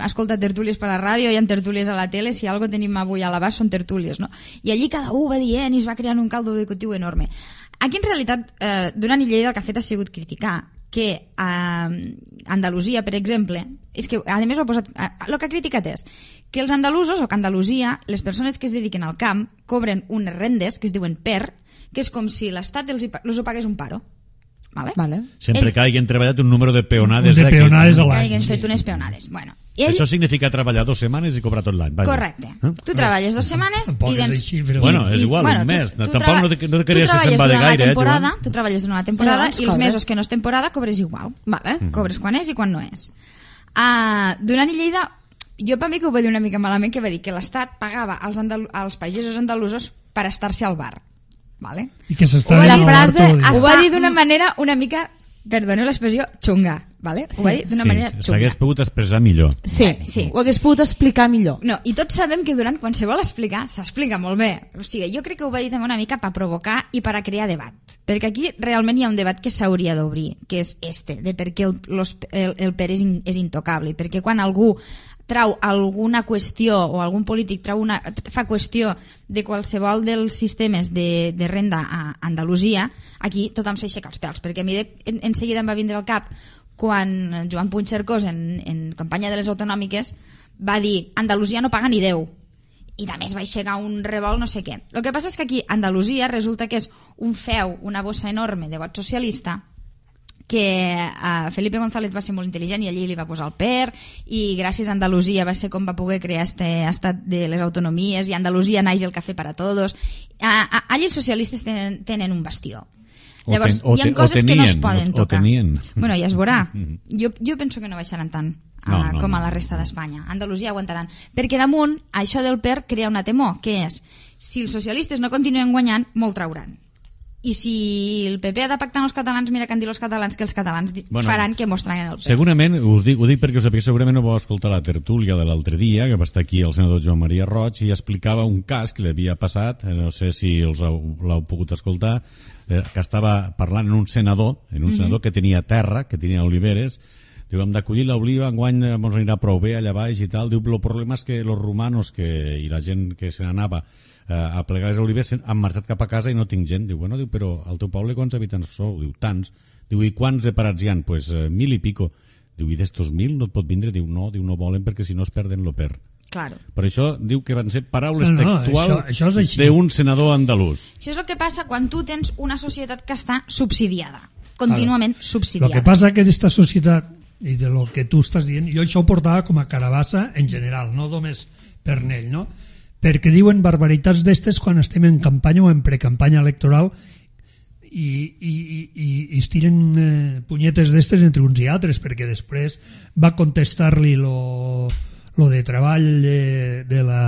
Speaker 3: escolta tertúlies per la ràdio, hi ha tertúlies a la tele, si algo tenim avui a l'abast són tertúlies, no? I allí cada un va dient i es va creant un caldo educatiu enorme. Aquí, en realitat, Duran i Lleida el que ha fet ha sigut criticar que a Andalusia, per exemple, és que a més ho ha posat, el que ha criticat és que els andalusos, o que a Andalusia, les persones que es dediquen al camp cobren unes rendes que es diuen PER, que és com si l'Estat els ho pagués un paro. Vale?
Speaker 2: Sempre que hagin treballat un número de peonades.
Speaker 4: De peonades a
Speaker 3: Que
Speaker 4: l'any.
Speaker 3: hagin fet unes peonades. Bueno, i ell,
Speaker 2: Això significa treballar 2 setmanes i cobrar tot l'any. Vaja.
Speaker 3: correcte. Tu treballes 2 setmanes
Speaker 4: Tampoc
Speaker 3: i...
Speaker 4: és així, però-
Speaker 2: Bueno, és igual, un mes. Tampoc no te queries
Speaker 3: tu
Speaker 2: que se'n
Speaker 3: treballes
Speaker 2: va de
Speaker 3: durant la
Speaker 2: gaire,
Speaker 3: temporada,
Speaker 2: Joan.
Speaker 3: tu treballes durant la temporada
Speaker 5: Llavors
Speaker 3: i els
Speaker 5: cobres.
Speaker 3: mesos que no és temporada cobres igual.
Speaker 5: Vale.
Speaker 3: Cobres quan és i quan no és. Duran i Lleida, jo per mi que ho va dir una mica malament, que va dir que l'Estat pagava als pagesos andalusos per estar-se al bar. Vale?
Speaker 4: I que s'està
Speaker 3: Ho va
Speaker 4: dient
Speaker 3: dir-
Speaker 4: al bar
Speaker 5: frase
Speaker 4: tot el dia.
Speaker 3: Ho va dir d'una manera una mica, perdoneu l'expressió, xunga. Vale? Ho va dir d'una manera xunga.
Speaker 2: S'hagués pogut expressar millor.
Speaker 5: Sí,
Speaker 3: Sí.
Speaker 5: ho hagués pogut explicar millor.
Speaker 3: No, i tots sabem que Duran, quan se vol explicar, s'explica molt bé. O sigui, jo crec que ho va dir també una mica per provocar i per a crear debat. Perquè aquí realment hi ha un debat que s'hauria d'obrir, que és de per què el PER és intocable. Perquè quan algú trau alguna qüestió o algun polític fa qüestió de qualsevol dels sistemes de renda a Andalusia, aquí tothom s'aixeca els pèls, perquè a mi en seguida em va vindre al cap quan Joan Puigcercós en campanya de les autonòmiques va dir Andalusia no paga ni 10 i també es va aixecar un revolt no sé què. El que passa és que aquí Andalusia resulta que és un feu, una bossa enorme de vot socialista que Felipe González va ser molt intel·ligent i allí li va posar el PER, i gràcies a Andalusia va ser com va poder crear este estat de les autonomies, i a Andalusia naix el cafè para todos. Allí els socialistes tenen un bastió. Llavors, hi ha coses que no es poden tocar. Bueno, ja es veurà. Jo penso que no baixaran tant com a la resta d'Espanya. Andalusia aguantaran. Perquè damunt, això del PER crea una temor, que és, si els socialistes no continuen guanyant, molt trauran. I si el PP ha de pactar amb els catalans, mira que han dit els catalans que els catalans faran que mostraran el PER.
Speaker 2: Segurament, ho dic perquè segurament no vau escoltar la tertúlia de l'altre dia, que va estar aquí el senador Joan Maria Roig, i explicava un cas que li havia passat, no sé si l'heu pogut escoltar, que estava parlant en un senador que tenia terra, que tenia oliveres. Diu, hem d'acollir l'oliva, enguany ens anirà prou bé allà baix i tal. Diu, el problema és que els romanos i la gent que se n'anava a plegar les olives han marxat cap a casa i no tinc gent. Diu, bueno, però al teu poble quants habitants sou? Diu, tants. Diu, i quants de parats hi ha? Pues 1.000 i pico. Diu, i d'estos 1.000 no et pot vindre? Diu, no volen perquè si no es perden lo PER.
Speaker 3: Claro.
Speaker 2: Per això diu que van ser paraules textuals d'un senador andalús.
Speaker 3: Això és el que passa quan tu tens una societat que està subsidiada, contínuament subsidiada.
Speaker 4: El que passa que d'esta societat i de lo que tu estàs dient, jo això ho portava com a carabassa en general, no només per Nell, no? Perquè diuen barbaritats d'estes quan estem en campanya o en precampanya electoral i es tiren punyetes d'estes entre uns i altres, perquè després va contestar-li lo de treball de la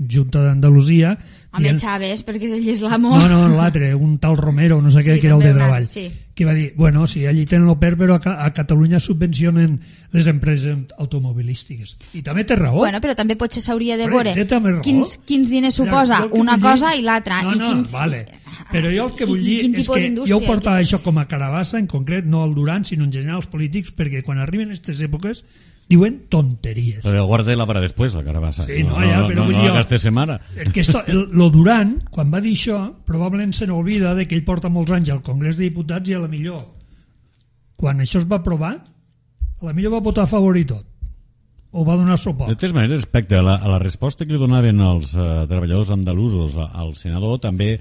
Speaker 4: Junta d'Andalusia.
Speaker 3: Home, Chávez, perquè ell és l'amo.
Speaker 4: No, l'altre, un tal Romero, no sé què, que era el de treball. Sí. Que va dir, bueno, sí, allí tenen el PER, però a Catalunya subvencionen les empreses automobilístiques. I també té raó.
Speaker 3: Bueno, però també potser s'hauria de veure quins diners suposa una cosa i l'altra.
Speaker 4: Vale. Però jo el que vull dir és que jo ho portava això com a carabassa, en concret, no el Duran, sinó en general els polítics, perquè quan arriben aquestes èpoques diuen tonteries.
Speaker 2: Però guarda-la para després, la carabassa.
Speaker 4: Sí, però vull dir jo...
Speaker 2: No la gastes setmana.
Speaker 4: Lo Duran, quan va dir això, probablement se n'olvida que ell porta molts anys al Congrés de Diputats i a la millor, quan això es va aprovar, a la millor va votar a favor i tot. O va donar suport.
Speaker 2: De totes maneres, respecte a la resposta que li donaven els treballadors andalusos al senador, també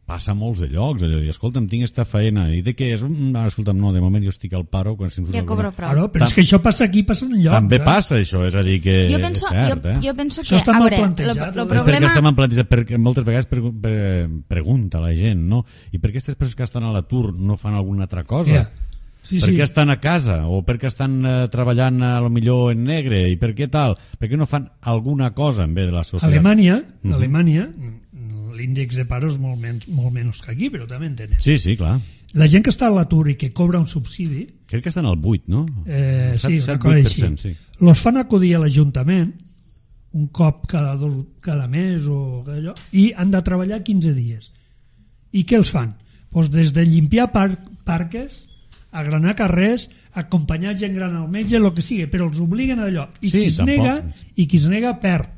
Speaker 2: passa a molts de llocs, allò, i escolta'm, tinc esta feina, i de què és? Escolta'm, no, de moment jo estic al paro quan
Speaker 3: ja cobro prou.
Speaker 4: Però és que això passa aquí, passa enlloc.
Speaker 2: També passa això, és a dir que
Speaker 3: jo penso,
Speaker 2: és cert,
Speaker 3: jo penso que,
Speaker 4: això està mal plantejat.
Speaker 3: El problema...
Speaker 2: És perquè està mal plantejat, perquè moltes vegades pregunta la gent, no? I per què aquestes persones que estan a l'atur no fan alguna altra cosa?
Speaker 4: Yeah. Sí,
Speaker 2: per què estan a casa? O per què estan treballant a lo millor en negre? I per què tal? Per què no fan alguna cosa en bé de la societat?
Speaker 4: Alemanya, l'índex de paro és molt menys que aquí, però també en tenen.
Speaker 2: Sí, clar.
Speaker 4: La gent que està a l'atur i que cobra un subsidi...
Speaker 2: Crec que estan al 8, no?
Speaker 4: Sí, una cosa així. Sí. Los fan acudir a l'Ajuntament un cop cada mes o allò, i han de treballar 15 dies. I què els fan? Pues des de limpiar parques, agranar carrers, acompanyar gent gran al metge, el que sigui, però els obliguen a allò. I qui es nega perd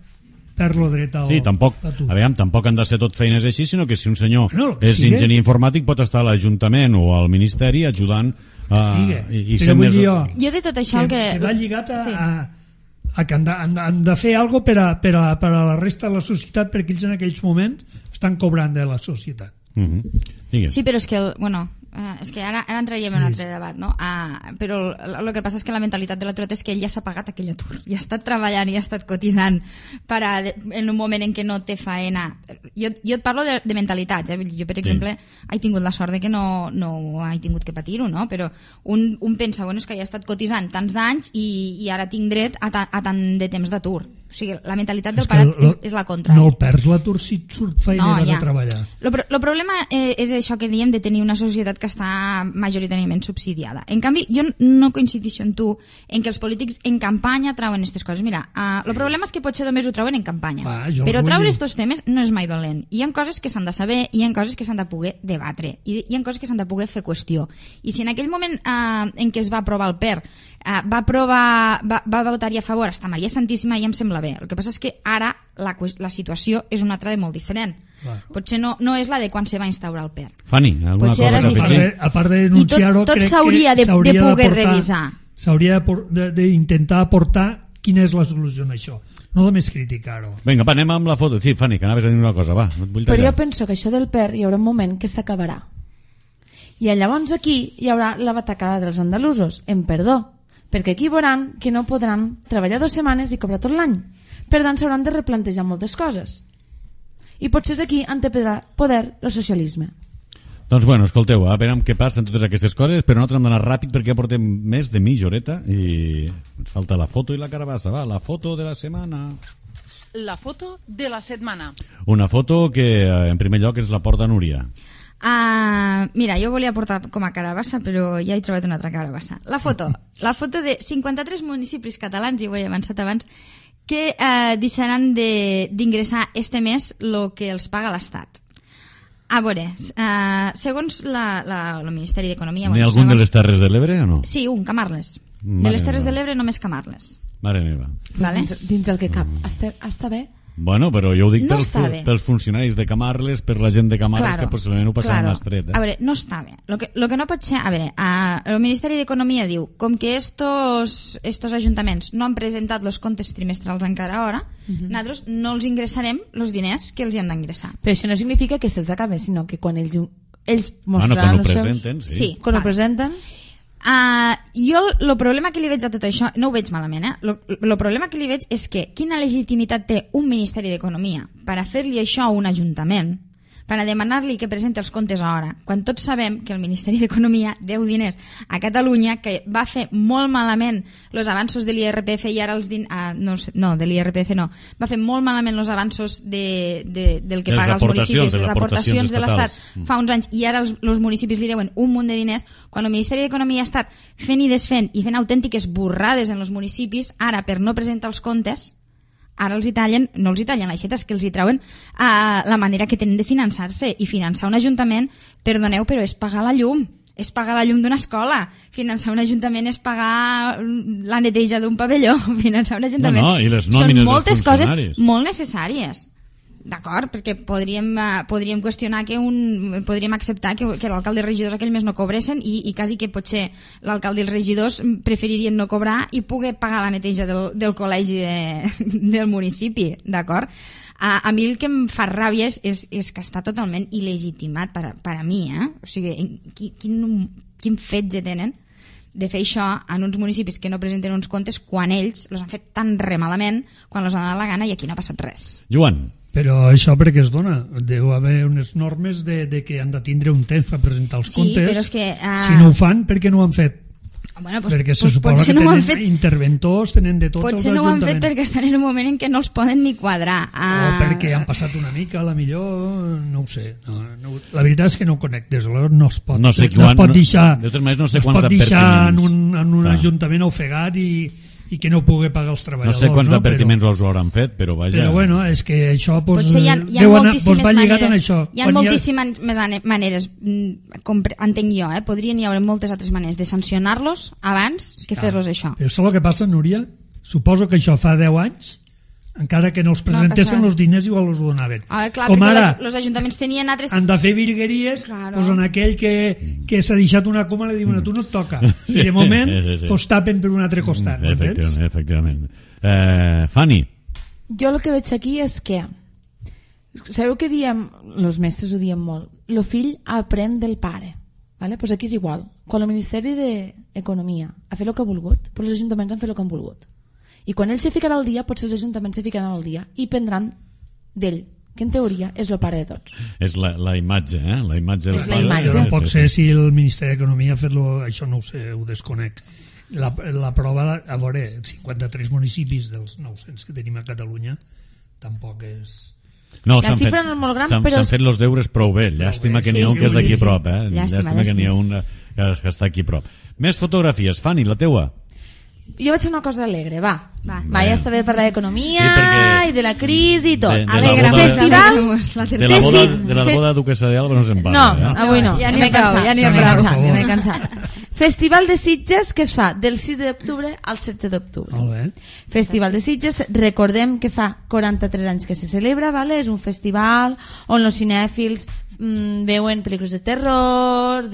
Speaker 4: lo dret al...
Speaker 2: Sí, tampoc han de ser tot feines així, sinó que si un senyor és enginyer informàtic pot estar a l'Ajuntament o al Ministeri ajudant
Speaker 4: però vull dir
Speaker 3: jo de tot això
Speaker 4: que va lligat a que han de fer alguna cosa per a la resta de la societat, perquè ells en aquells moments estan cobrant de la societat.
Speaker 3: Sí, però és que és que ara entraríem en un altre debat, no? Però el que passa és que la mentalitat de l'aturat és que ell ja s'ha pagat aquell atur, ja ha estat treballant i ha estat cotitzant en un moment en què no té faena. Jo et parlo de mentalitats, jo per exemple he tingut la sort de que no he tingut que patir-ho, no? Però un pensa, és que ja he estat cotitzant tants d'anys i ara tinc dret a tant de temps d'atur. O sigui, la mentalitat del parat és la contra.
Speaker 4: No el perds l'atur si et surt feina i vas a treballar.
Speaker 3: El problema és això que diem de tenir una societat que està majoritàriament subsidiada. En canvi, jo no coincideixo amb tu en que els polítics en campanya trauen aquestes coses. Mira, el problema és que potser només ho trauen en campanya. Però traure aquests temes no és mai dolent. Hi ha coses que s'han de saber, hi ha coses que s'han de poder debatre, i hi ha coses que s'han de poder fer qüestió. I si en aquell moment en què es va aprovar el PER va votar-hi a favor hasta Maria Santíssima, ja em sembla bé. El que passa és que ara la situació és una altra de molt diferent. Potser no és la de quan se va instaurar el PER.
Speaker 2: Fanny, alguna cosa que afegir?
Speaker 4: A part de denunciar-ho,
Speaker 3: tot s'hauria de poder revisar.
Speaker 4: S'hauria d'intentar aportar quina és la solució a això, no només criticar-ho.
Speaker 2: Vinga, anem amb la foto. Sí, Fanny, que anaves a dir una cosa, va, no et vull tallar.
Speaker 5: Però jo penso que això del PER hi haurà un moment que s'acabarà. I llavors aquí hi haurà la batacada dels andalusos, en perdó, perquè aquí veuran que no podran treballar 2 setmanes i cobrar tot l'any. Per tant, s'hauran de replantejar moltes coses. I potser aquí han de poder el socialisme.
Speaker 2: Doncs bueno, escolteu, a veure què passa en totes aquestes coses, però nosaltres hem d'anar ràpid perquè ja portem més de mitja horeta i ens falta la foto i la carabassa. Va, la foto de la setmana.
Speaker 1: La foto de la setmana.
Speaker 2: Una foto que en primer lloc ens la porta Núria.
Speaker 3: Mira, jo volia portar com a carabassa, però ja he trobat una altra carabassa. La foto de 53 municipis catalans, i ho he avançat abans, que deixaran d'ingressar este mes el que els paga l'Estat. A veure, segons el Ministeri d'Economia...
Speaker 2: N'hi ha algun de les Terres de l'Ebre o no?
Speaker 3: Sí, un, Camarles. De les Terres de l'Ebre només Camarles.
Speaker 2: Mare meva.
Speaker 3: Vale?
Speaker 5: Dins el que cap. Està bé?
Speaker 2: Bueno, però jo ho dic
Speaker 3: No
Speaker 2: pels funcionaris de Camarles, per la gent de Camarles, que possiblement ho passaran estret.
Speaker 3: A veure, no està bé. Lo que no pot ser... A veure, el Ministeri d'Economia diu, com que estos ajuntaments no han presentat els comptes trimestrals encara ara, nosaltres no els ingressarem els diners que els hi han d'ingressar.
Speaker 5: Però això no significa que se'ls acabe, sinó que quan ells mostraran els seus...
Speaker 2: presenten,
Speaker 3: sí,
Speaker 5: quan ho presenten...
Speaker 3: Jo el problema que li veig a tot això, no ho veig malament, el problema que li veig és que quina legitimitat té un Ministeri d'Economia per a fer-li això a un ajuntament, per a demanar-li que presenti els comptes a hora, quan tots sabem que el Ministeri d'Economia deu diners a Catalunya, que va fer molt malament els avanços de l'IRPF i ara els de l'IRPF no, va fer molt malament els avanços del que paga els municipis, les aportacions de l'Estat fa uns anys, i ara els municipis li deuen un munt de diners, quan el Ministeri d'Economia ha estat fent i desfent i fent autèntiques borrades en els municipis, ara per no presentar els comptes, ara no els hi tallen l'aixeta, és que els hi treuen la manera que tenen de finançar-se, i finançar un ajuntament, perdoneu, però és pagar la llum, és pagar la llum d'una escola, finançar un ajuntament és pagar la neteja d'un pavelló, finançar un ajuntament
Speaker 2: i les nòmines
Speaker 3: són moltes
Speaker 2: dels
Speaker 3: coses
Speaker 2: funcionaris.
Speaker 3: molt necessàries, d'acord, perquè podríem qüestionar podríem acceptar que l'alcalde i els regidors aquell mes no cobressin, i quasi que potser l'alcalde i els regidors preferirien no cobrar i poder pagar la neteja del col·legi del municipi, d'acord? A mi el que em fa ràbia és que està totalment il·legitimat per a mi, o sigui, quin fetge tenen de fer això en uns municipis que no presenten uns comptes quan ells els han fet tan remalament quan els han donat la gana, i aquí no ha passat res.
Speaker 2: Joan.
Speaker 4: Però això per què es dona? Deu haver unes normes de que han de tindre un temps per presentar els comptes.
Speaker 3: Però és que,
Speaker 4: si no ho fan, per què no ho han fet?
Speaker 3: Bueno,
Speaker 4: perquè se suposa que tenen interventors, tenen de tot els
Speaker 3: ajuntaments. Potser no ho han fet perquè estan en un moment en què no els poden ni quadrar.
Speaker 4: O perquè han passat una mica, a la millor, no ho sé. La veritat és que no ho conec, des d'aleshores no es pot.
Speaker 2: No sé quan,
Speaker 4: pot deixar,
Speaker 2: no sé pot
Speaker 4: deixar en un ajuntament ofegat i que no pugui pagar els treballadors.
Speaker 2: No sé quants advertiments els ho hauran fet, però vaja...
Speaker 4: Però bueno, és que això
Speaker 3: potser hi ha moltíssimes
Speaker 4: va lligat en això.
Speaker 3: Hi ha moltíssimes maneres, entenc jo, podrien hi haver moltes altres maneres de sancionar-los abans que fer-los això.
Speaker 4: Però això és el que passa, Núria? Suposo que això fa 10 anys, encara que no els presentessin els diners, igual els ho donaven.
Speaker 3: Clar,
Speaker 4: com ara
Speaker 3: els ajuntaments tenien altres...
Speaker 4: han de fer virgueries, doncs en aquell que s'ha deixat una coma li diuen a tu no et toca, i de moment tapen per un altre costat.
Speaker 2: Efectivament. Fanny,
Speaker 5: jo el que veig aquí és que sabeu que diem, els mestres ho diem molt, el fill aprèn del pare, vale? Pues aquí és igual. Quan el Ministeri d'Economia ha fet el que ha volgut, pues els ajuntaments han fet el que han volgut. I quan ell se ficarà al dia, potser els ajuntaments se ficaran al dia i prendran d'ell, que en teoria és el pare de tots.
Speaker 2: És la imatge, la imatge
Speaker 5: és la imatge.
Speaker 4: No pot ser si el Ministeri d'Economia ha fet això, no ho sé, ho desconec. La prova, a veure, 53 municipis dels 900 que tenim a Catalunya tampoc és...
Speaker 2: No,
Speaker 5: la xifra no és molt gran, però...
Speaker 2: S'han fet els deures prou bé. Llàstima que n'hi ha un que és d'aquí a prop. Llàstima que n'hi ha un que està aquí a prop. Més fotografies. Fanny, la teua.
Speaker 5: Jo vaig fer una cosa alegre, va, ja està bé parlar d'economia i de la crisi i tot.
Speaker 3: Festival
Speaker 2: de la boda duquesa d'Alba no se'n parla.
Speaker 5: No, avui no, ja m'he cansat,
Speaker 3: cansat.
Speaker 5: Festival de Sitges que es fa del 6 d'octubre al 16 d'octubre. Festival de Sitges, recordem que fa 43 anys que se celebra, vale? És un festival on els cinèfils veuen pel·lícules de terror,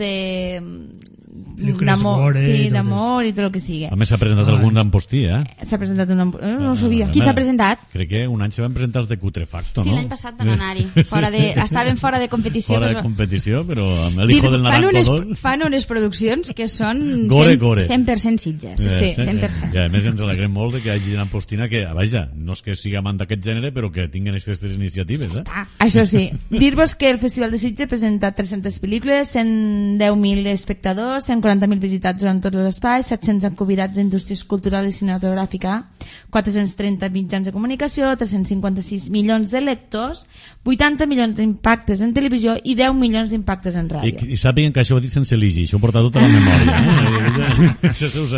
Speaker 5: d'amor, sí, d'amor i tot el que sigui.
Speaker 2: A més s'ha presentat algun d'Ampostí,
Speaker 5: S'ha presentat no ho sabia.
Speaker 3: Qui s'ha presentat?
Speaker 2: Crec que un any se van presentar els de Cutrefacto,
Speaker 3: Sí,
Speaker 2: no?
Speaker 3: l'any passat van anar-hi. Estaven fora de competició.
Speaker 2: Fora de competició, però amb el hijo del Naranjo 2...
Speaker 3: Fan unes produccions que són
Speaker 2: Gore.
Speaker 3: 100% Sitges. Sí, 100%.
Speaker 2: I a més ens alegrem molt de que hi hagi gent ampostina que, vaja, no és que sigui amant d'aquest gènere, però que tinguin aquestes iniciatives.
Speaker 5: Això sí. Dir-vos que el Festival de Sitges presenta 300 pel·lícules, 110.000 espectadors, 140.000 visitats durant tot l'espai, 700 convidats d'indústries culturals i cinematogràfica, 430 mitjans de comunicació, 356 milions de lectors, 80 milions d'impactes en televisió i 10 milions d'impactes en ràdio.
Speaker 2: I sàpiguen que això ho he dit sense ligi, això ho porta tota la memòria.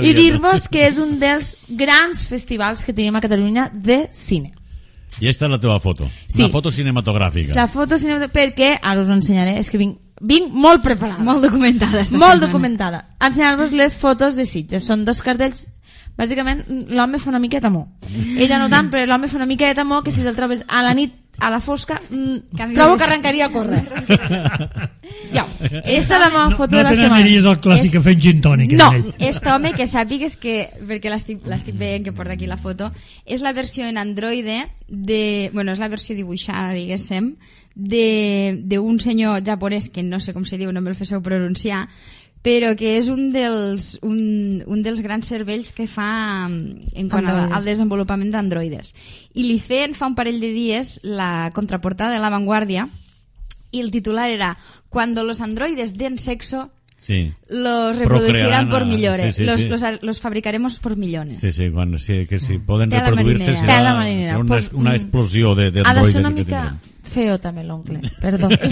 Speaker 5: I dir-vos que és un dels grans festivals que tenim a Catalunya de cine.
Speaker 2: I aquesta és la teva foto, una foto cinematogràfica.
Speaker 5: La foto cinematogràfica, perquè ara us ho ensenyaré, és que vinc molt preparada.
Speaker 3: Molt documentada.
Speaker 5: Molt documentada. Ensenyar-vos les fotos de Sitges. Són dos cartells. Bàsicament, l'home fa una miqueta mo. Ella no tant, però l'home fa una miqueta mo que si te'l trobes a la nit, a la fosca, trobo que arrencaria a córrer. Ja, aquesta és la meva foto de la setmana.
Speaker 4: No te n'aniries al clàssic a fer gin tònic.
Speaker 5: No.
Speaker 3: Aquest home, que sàpigues que, perquè l'estic veient que porta aquí la foto, és la versió en Android és la versió dibuixada, diguéssim, d'un senyor japonès que no sé com se diu, no me'l féssiu pronunciar, però que és un dels grans cervells que fa en quant al desenvolupament d'androides. I li feien fa un parell de dies la contraportada de La Vanguardia y el titular era «Cuando los androides den sexo, los reproducirán por millones, los fabricaremos por millones».
Speaker 2: Sí, que si poden reproduir-se serà una explosió d'androides.
Speaker 5: Ha de ser una mica feo també l'oncle, perdó.
Speaker 3: És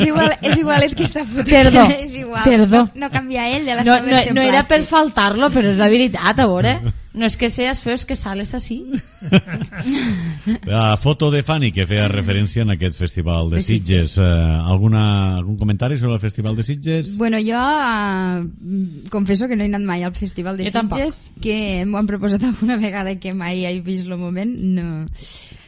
Speaker 3: igualet que està fotent.
Speaker 5: Perdó,
Speaker 3: és igual.
Speaker 5: perdó.
Speaker 3: No canvia ell de la seva versió
Speaker 5: no
Speaker 3: en
Speaker 5: era
Speaker 3: plàstic.
Speaker 5: per faltar-lo, però és la veritat, a veure. No és que seas feo, és que sales así.
Speaker 2: La foto de Fanny que feia referència en aquest festival de Sitges. Algun comentari sobre el festival de Sitges?
Speaker 3: Bueno, jo confesso que no he anat mai al festival de Sitges, que m'ho han proposat alguna vegada que mai he vist el moment, no.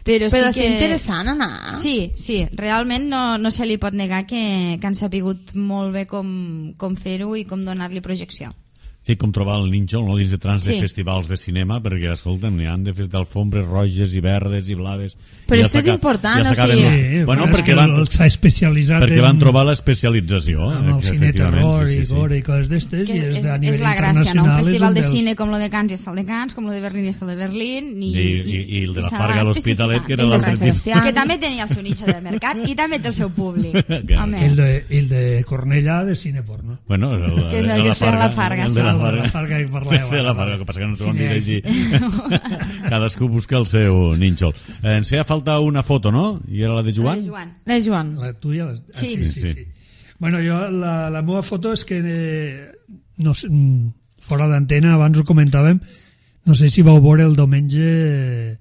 Speaker 3: Però sí
Speaker 5: és interessant anar.
Speaker 3: Sí, realment no se li pot negar que han sapigut molt bé com fer-ho i com donar-li projecció.
Speaker 2: Sí, com trobar el nínxol, no? Dins de trans de festivals de cinema, perquè, escolta'm, n'hi han de fer d'alfombres roges i verdes i blaves.
Speaker 5: Però això és important, o sigui...
Speaker 4: Bueno, perquè s'ha especialitzat
Speaker 2: perquè van trobar l'especialització.
Speaker 4: En el cine terror i gore i coses d'estes, i és a nivell internacional.
Speaker 3: És la gràcia, no? Un festival de cine com lo de Cannes està el de Cannes, com lo de Berlín està el de Berlín...
Speaker 2: I el de la Farga a l'Hospitalet, que era l'altre tipus.
Speaker 3: Que també tenia el seu nicho de mercat i també té el seu públic.
Speaker 4: El de Cornellà, de cine porno.
Speaker 2: Bueno,
Speaker 3: que és el que feia la Farga, sí.
Speaker 4: La Farga que parlàveu.
Speaker 2: La Farga, que passa que no s'ho han dit així. Cadascú busca el seu nínxol. Ens feia falta una foto, no? I era la de Joan?
Speaker 5: La de Joan.
Speaker 4: La tuya?
Speaker 3: Sí.
Speaker 4: Bueno, jo, la meva foto és que, no sé, fora d'antena, abans ho comentàvem, no sé si vau veure el diumenge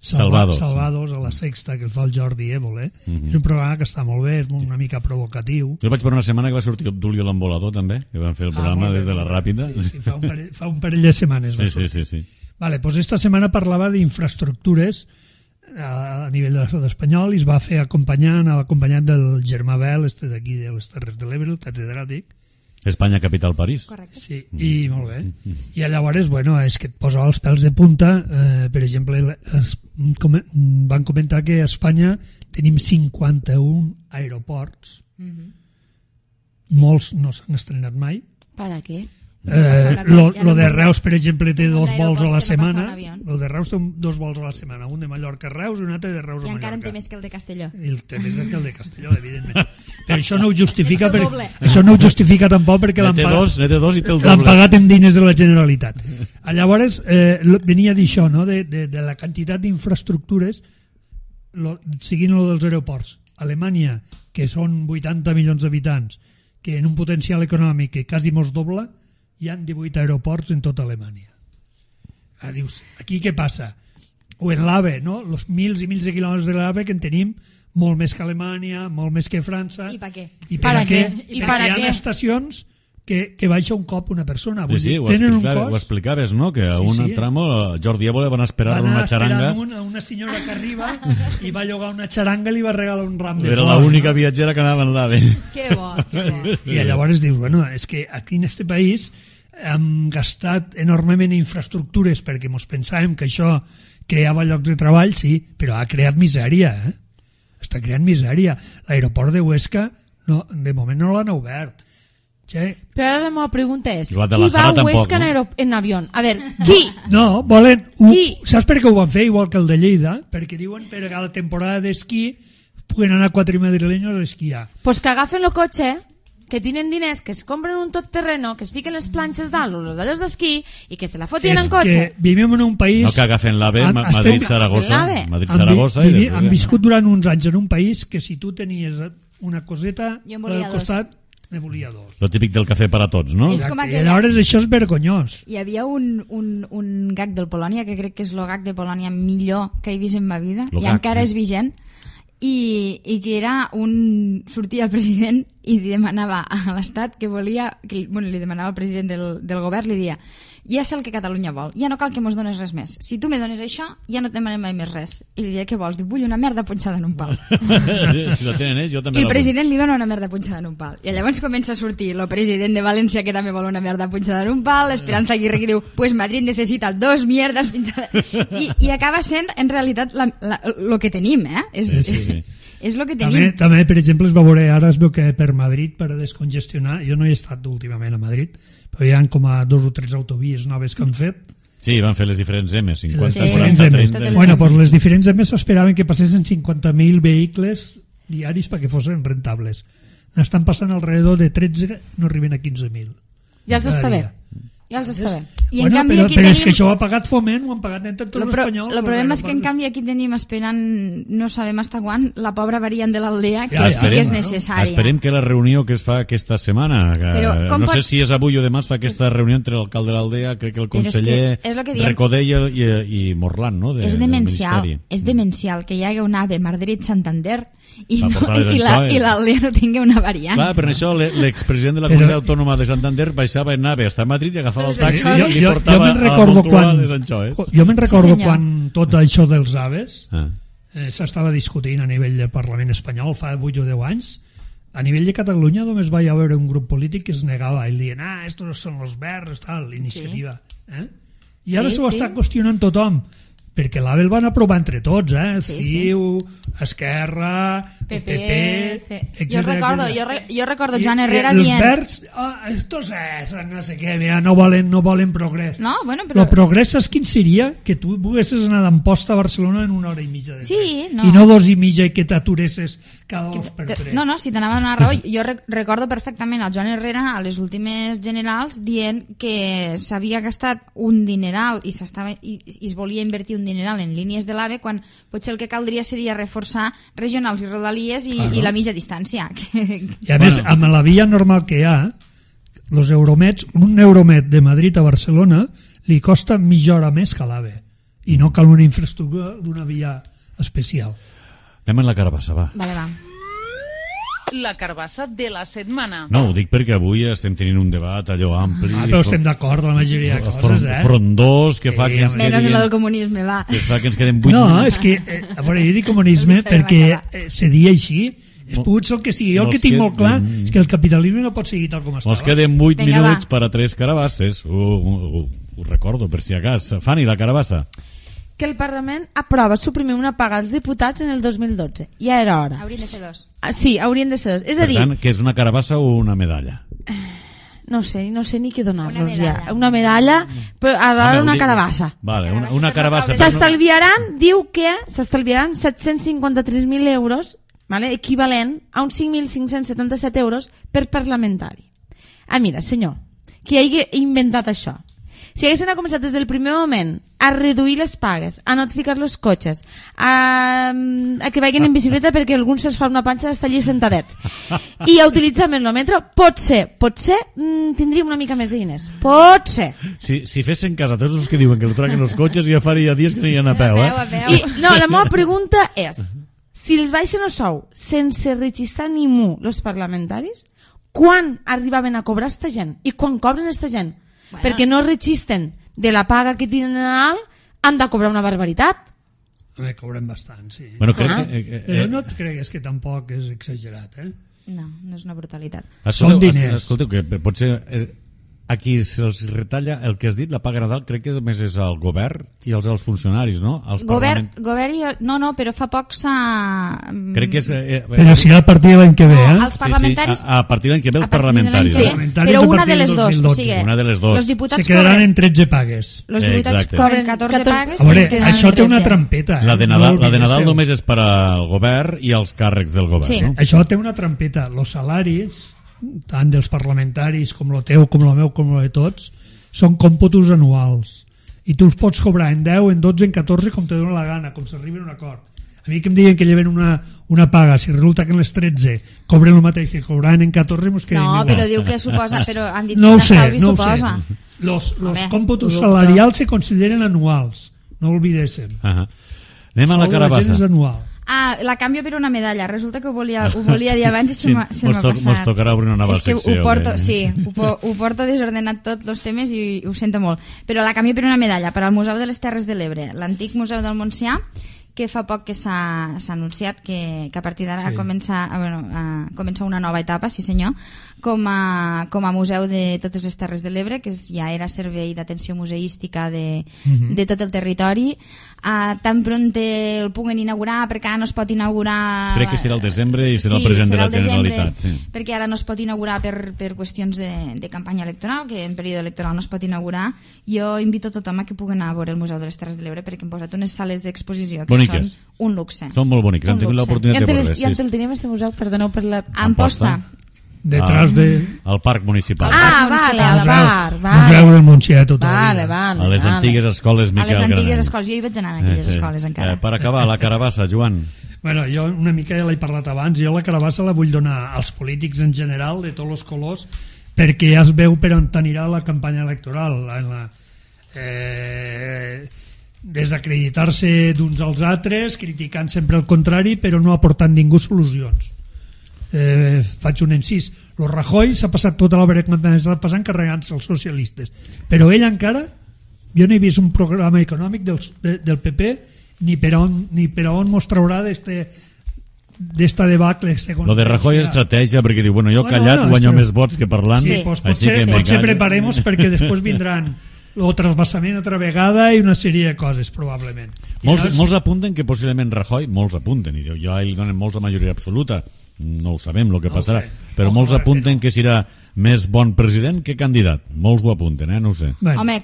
Speaker 4: Salvados a la Sexta, que el fa el Jordi Évole. És un programa que està molt bé, és una mica provocatiu.
Speaker 2: Jo vaig per una setmana que va sortir Obdulio l'Embolador també, que van fer el programa des de la Ràpida.
Speaker 4: Sí, fa un parell de setmanes va sortir.
Speaker 2: Sí.
Speaker 4: Vale, doncs esta setmana parlava d'infraestructures a nivell de l'estat espanyol i es va fer acompanyat del Germà Bel, d'aquí de les Terres de l'Ebre, el catedràtic.
Speaker 2: Espanya, capital, París.
Speaker 3: Correcte.
Speaker 4: Sí, i molt bé. I llavors, bueno, és que et posa els pèls de punta. Per exemple, van comentar que a Espanya tenim 51 aeroports. Molts no s'han estrenat mai.
Speaker 5: Per a què?
Speaker 4: Lo de Reus, per exemple, té 2 vols a la setmana. Lo de Reus té 2 vols a la setmana, un de Mallorca a Reus i un altre de Reus a Mallorca.
Speaker 3: I encara en té més que el de Castelló.
Speaker 4: I el té més que el de Castelló, evidentment. Però això no ho justifica, això no ho justifica tampoc perquè l'han pagat amb diners de la Generalitat. Llavors venia a dir això, no? De la quantitat d'infraestructures seguint lo dels aeroports. Alemanya, que són 80 milions d'habitants, que en un potencial econòmic que quasi mos dobla, hi han 18 aeroports en tota Alemanya. Dius, aquí què passa? O en l'AVE, no? Los mils i mils de quilòmetres de l'AVE que en tenim molt més que Alemanya, molt més que França.
Speaker 3: I per què?
Speaker 4: Perquè hi ha estacions que baixa un cop una persona.
Speaker 2: Sí, ho explicaves, no? Que a un tramo Jordi Évole van esperar una xaranga.
Speaker 4: Una senyora que arriba i va llogar una xaranga i li va regalar un ram de flors.
Speaker 2: Era l'única viatgera que anava en l'AVE.
Speaker 3: Que bo.
Speaker 4: I llavors dius, bueno, és que aquí en este país hem gastat enormement en infraestructures perquè ens pensàvem que això creava llocs de treball, sí, però ha creat misèria, està creant misèria. L'aeroport de Huesca de moment no l'han obert.
Speaker 5: Però ara la meva pregunta és,
Speaker 2: I la de
Speaker 5: qui va a
Speaker 2: Bajara
Speaker 5: Huesca
Speaker 2: tampoc,
Speaker 5: en avió? A veure, qui?
Speaker 4: No, volen...
Speaker 5: Qui?
Speaker 4: Saps per què ho van fer? Igual que el de Lleida, perquè diuen per a la temporada d'esquí puguen anar 4 madrileños a esquiar.
Speaker 5: Pues que agafen el cotxe, que tienen diners, que es compren un tot terreno, que es fiquen les planxes dalt o los d'allòs d'esquí i que se la fotien en cotxe.
Speaker 4: És que vivim en un país...
Speaker 2: No que agafen l'AVE, Madrid-Saragossa.
Speaker 4: Han viscut durant uns anys en un país que si tu tenies una coseta al costat, ne volia dos.
Speaker 2: Lo típic del cafè per a tots, no?
Speaker 3: És com
Speaker 4: I
Speaker 3: aquella...
Speaker 4: aleshores això és vergonyós.
Speaker 3: Hi havia un gag del Polònia, que crec que és el gag de Polònia millor que he vist en ma vida, i encara és vigent, i que era sortia el president i li demanava a l'Estat que volia, li demanava al president del govern, li dia, ja sé el que Catalunya vol, ja no cal que mos dones res més, si tu me dones això ja no et demanem mai més res, i li dia, què vols? Diu, vull una merda punxada en un pal.
Speaker 2: Si la tenen ells, jo també
Speaker 3: i el
Speaker 2: la vull.
Speaker 3: president li dona una merda punxada en un pal, i llavors comença a sortir el president de València que també vol una merda punxada en un pal, l'Esperanza Aguirre que diu, pues Madrid necesita 2 mierdas punxades, i acaba sent en realitat lo que tenim,
Speaker 2: Sí.
Speaker 3: És el que tenim.
Speaker 4: També, per exemple, es va veure, ara es veu que per Madrid, per descongestionar, jo no he estat últimament a Madrid, però hi ha com a 2 o 3 autovies noves que han fet.
Speaker 2: Sí, van fer les diferents M, 50,
Speaker 3: Sí,
Speaker 2: 40,
Speaker 3: M's.
Speaker 2: 30...
Speaker 4: Bueno, pues les diferents M s'esperaven que passessin 50.000 vehicles diaris perquè fossin rentables. N'estan passant alrededor de 13, no arriben a 15.000.
Speaker 5: Ja els està
Speaker 4: Cada
Speaker 5: bé.
Speaker 4: dia.
Speaker 5: Ja els està bé.
Speaker 3: I en canvi aquí
Speaker 4: però és
Speaker 3: tenim...
Speaker 4: que això ho ha pagat Foment, ho han pagat entre tots els espanyols.
Speaker 3: El problema és que en canvi aquí tenim esperant, no sabem fins quan, la pobra variant de l'Aldea, que sí que és necessària.
Speaker 2: Esperem que la reunió que es fa aquesta setmana,
Speaker 3: Però,
Speaker 2: no sé si és avui o demà, es fa aquesta reunió entre l'alcalde de l'Aldea, crec que el conseller Recoder i Morlan, no?
Speaker 3: És demencial que hi hagi un AVE Madrid-Santander i l'Aldea no tingui una variant.
Speaker 2: Clar, per això l'expresident de la comunitat autònoma de Santander baixava en AVE hasta Madrid i agafava el taxi i li portava a Moncloa les anxoes.
Speaker 4: Jo me'n recordo quan tot això dels aves s'estava discutint a nivell del Parlament espanyol fa 8 o 10 anys. A nivell de Catalunya només va haver un grup polític que es negava i dient, estos són los verds, tal, iniciativa. I ara s'ho està qüestionant tothom, perquè l'AVE el van aprovar entre tots, CiU, Esquerra, PP, etc.
Speaker 3: Jo recordo Joan Herrera dient...
Speaker 4: Els verds, estos no sé què, mira, no volen progrés.
Speaker 3: No, bueno, però...
Speaker 4: El progrés saps quin seria? Que tu poguessis anar d'Amposta a Barcelona en 1 hora i mitja de tren.
Speaker 3: Sí, no.
Speaker 4: I no 2 i mitja i que t'aturessis cada 2 per 3.
Speaker 3: No, si t'anava a donar raó. Jo recordo perfectament el Joan Herrera a les últimes generals dient que s'havia gastat un dineral i es volia invertir un dineral en línies de l'AVE quan potser el que caldria seria reforçar regionals i rodalies i la mitja distància.
Speaker 4: I a més, amb la via normal que hi ha, los euromets, un euromet de Madrid a Barcelona li costa mitja hora més que l'AVE i no cal una infraestructura d'una via especial.
Speaker 2: Anem en la carbassa, va.
Speaker 3: Vale, va.
Speaker 1: La carbassa de la setmana.
Speaker 2: No, ho dic perquè avui estem tenint un debat allò ampli.
Speaker 4: Però estem d'acord amb la majoria de coses,
Speaker 2: Frondós, que fa que ens
Speaker 3: Menys el del comunisme, va.
Speaker 2: Que fa que ens quedem 8
Speaker 4: No, és que, a veure, jo dic comunisme perquè seria així. És pogut ser el que sigui. Jo el que tinc molt clar és que el capitalisme no pot seguir tal com estava.
Speaker 2: Ens queden 8 minuts per a 3 carabasses. Ho recordo, per si acas. Fanny, la carabassa.
Speaker 5: Que el Parlament aprova suprimir una paga als diputats en el 2012. Ja era hora.
Speaker 3: Haurien de ser 2.
Speaker 5: Sí, haurien de ser 2. És a dir...
Speaker 2: Per tant, que és una carabassa o una medalla?
Speaker 5: No sé ni què donar-los ja. Una medalla, però ara una carabassa.
Speaker 2: Vale, una carabassa.
Speaker 5: S'estalviaran, diu que s'estalviaran 753.000 euros, vale, equivalent a uns 5.577 euros per parlamentari. Mira, senyor, qui hagi inventat això? Si haguessin començat des del primer moment a reduir les pagues, a notificar els cotxes, a que vagin en bicicleta perquè algú se'ls fa una panxa d'estar allí sentadets i a utilitzar més el metro, potser tindríem una mica més de diners. Potser.
Speaker 2: Si fessin cas a tots els que diuen que el traquen els cotxes ja faria dies que anirien a peu.
Speaker 5: I, no, la meva pregunta és, si els baixen el sou sense registrar ningú els parlamentaris, quan arribaven a cobrar esta gent? I quan cobren esta gent? Bueno. Perquè no registren de la paga que tenen alt, han de cobrar una barbaritat.
Speaker 4: Cobrem bastant, sí.
Speaker 2: Bueno,
Speaker 4: però no et cregues que tampoc és exagerat,
Speaker 3: No, no és una brutalitat.
Speaker 4: Són diners.
Speaker 2: Escolteu, que potser a qui se'ls retalla el que has dit, la paga Nadal, crec que només és el govern i els funcionaris, no?
Speaker 3: Govern i... No, però fa poc s'ha...
Speaker 2: Crec que és...
Speaker 4: Però si a partir de l'any que ve,
Speaker 3: els parlamentaris...
Speaker 2: Sí, a partir de l'any que ve els parlamentaris.
Speaker 3: Sí, però una de les dos. O sigui,
Speaker 2: una de les dos.
Speaker 3: Els diputats
Speaker 4: se quedaran en 13 pagues.
Speaker 3: Els diputats cobren 14 pagues.
Speaker 4: A veure, això té una trampeta.
Speaker 2: La de Nadal només és per al govern i els càrrecs del govern,
Speaker 3: sí.
Speaker 2: No?
Speaker 4: Això té una trampeta. Els salaris, tant dels parlamentaris com el teu, com el meu, com el de tots, són còmputos anuals. I tu els pots cobrar en 10, en 12, en 14, com te dona la gana, com s'arriba a un acord. A mi que em diuen que lleven una paga, si resulta que en les 13 cobren el mateix que cobraran en 14, mos quedem igual.
Speaker 3: No, però diu que suposa, però han dit
Speaker 4: no
Speaker 3: que
Speaker 4: l'estalvi
Speaker 3: suposa.
Speaker 4: Los còmputos salarials se consideren anuals, no oblidéssim.
Speaker 2: Anem a la carabassa.
Speaker 4: És anual.
Speaker 3: La canvio per una medalla. Resulta que ho volia dir abans i se m'ha passat.
Speaker 2: Mos tocarà obrir una nova secció.
Speaker 3: És que ho porto desordenat tots els temes i ho sento molt. Però la canvio per una medalla per al Museu de les Terres de l'Ebre, l'antic Museu del Montsià, que fa poc que s'ha anunciat que a partir d'ara comença una nova etapa, sí senyor, com a museu de totes les Terres de l'Ebre, que ja era servei d'atenció museística de tot el territori. Tan pront el puguen inaugurar, perquè ara no es pot inaugurar...
Speaker 2: Crec que serà el desembre i serà el president de la Generalitat. Sí.
Speaker 3: Perquè ara no es pot inaugurar per qüestions de campanya electoral, que en període electoral no es pot inaugurar. Jo invito a tothom a que puguen anar a veure el Museu de les Terres de l'Ebre, perquè hem posat unes sales d'exposició que són un luxe.
Speaker 2: Són molt boniques, hem tingut l'oportunitat de veure.
Speaker 5: I on el tenim, este museu? Perdoneu per la...
Speaker 3: Amposta.
Speaker 4: Detrás de...
Speaker 2: Al Parc Municipal.
Speaker 5: Vale, al bar.
Speaker 4: Museu del Montsià tot el dia.
Speaker 5: Vale.
Speaker 2: A les antigues escoles Miquel Graner.
Speaker 3: A les antigues escoles, jo hi vaig anar en aquelles escoles encara.
Speaker 2: Per acabar, la carabassa, Joan.
Speaker 4: Bueno, jo una mica ja l'he parlat abans, jo la carabassa la vull donar als polítics en general, de tots els colors, perquè ja es veu per on anirà la campanya electoral. Desacreditar-se d'uns als altres, criticant sempre el contrari, però no aportant ningú solucions. Faig un incís. Lo Rajoy s'ha passat tota l'obra que m'ha passant carregant-se els socialistes, però ell encara, jo no he vist un programa econòmic del PP ni per on mos traurà d'esta debacle.
Speaker 2: Lo de Rajoy és estratègia, perquè diu, bueno, jo callat guanyo més vots que parlant.
Speaker 4: Sí, pues potser preparemos perquè després vindran o trasbassament altra vegada i una sèrie de coses, probablement.
Speaker 2: Molts apunten que possiblement Rajoy, molts apunten, i ja li donen molts la majoria absoluta, no ho sabem el que passarà, però molts apunten que serà més bon president que candidat. Molts ho apunten, no ho sé.
Speaker 3: Bueno. Home,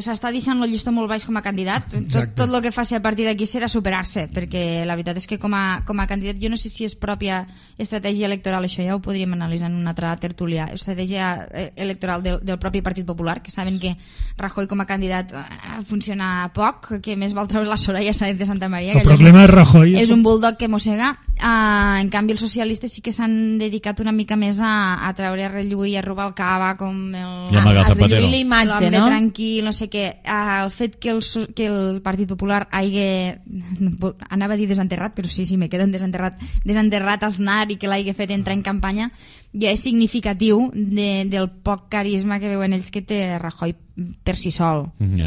Speaker 3: s'està deixant el llistó molt baix com a candidat. Tot el que faci a partir d'aquí serà superar-se, perquè la veritat és que com a candidat, jo no sé si és pròpia estratègia electoral, això ja ho podríem analitzar en una altra tertúlia, estratègia electoral del propi Partit Popular, que saben que Rajoy com a candidat funciona poc, que més vol treure la Soraya Sáenz de Santa Maria,
Speaker 4: el problema de Rajoy
Speaker 3: és un bulldog que mossega. En canvi els socialistes sí que s'han dedicat una mica més a treure a relluir, a robar el cava com
Speaker 5: l'imatge,
Speaker 3: no? Tranquil, no sé què. El fet que el Partit Popular anava a dir desenterrat, però sí, me quedo en desenterrat Aznar i que l'hagi fet entrar en campanya, ja és significatiu del poc carisma que veuen ells que té Rajoy per si sol.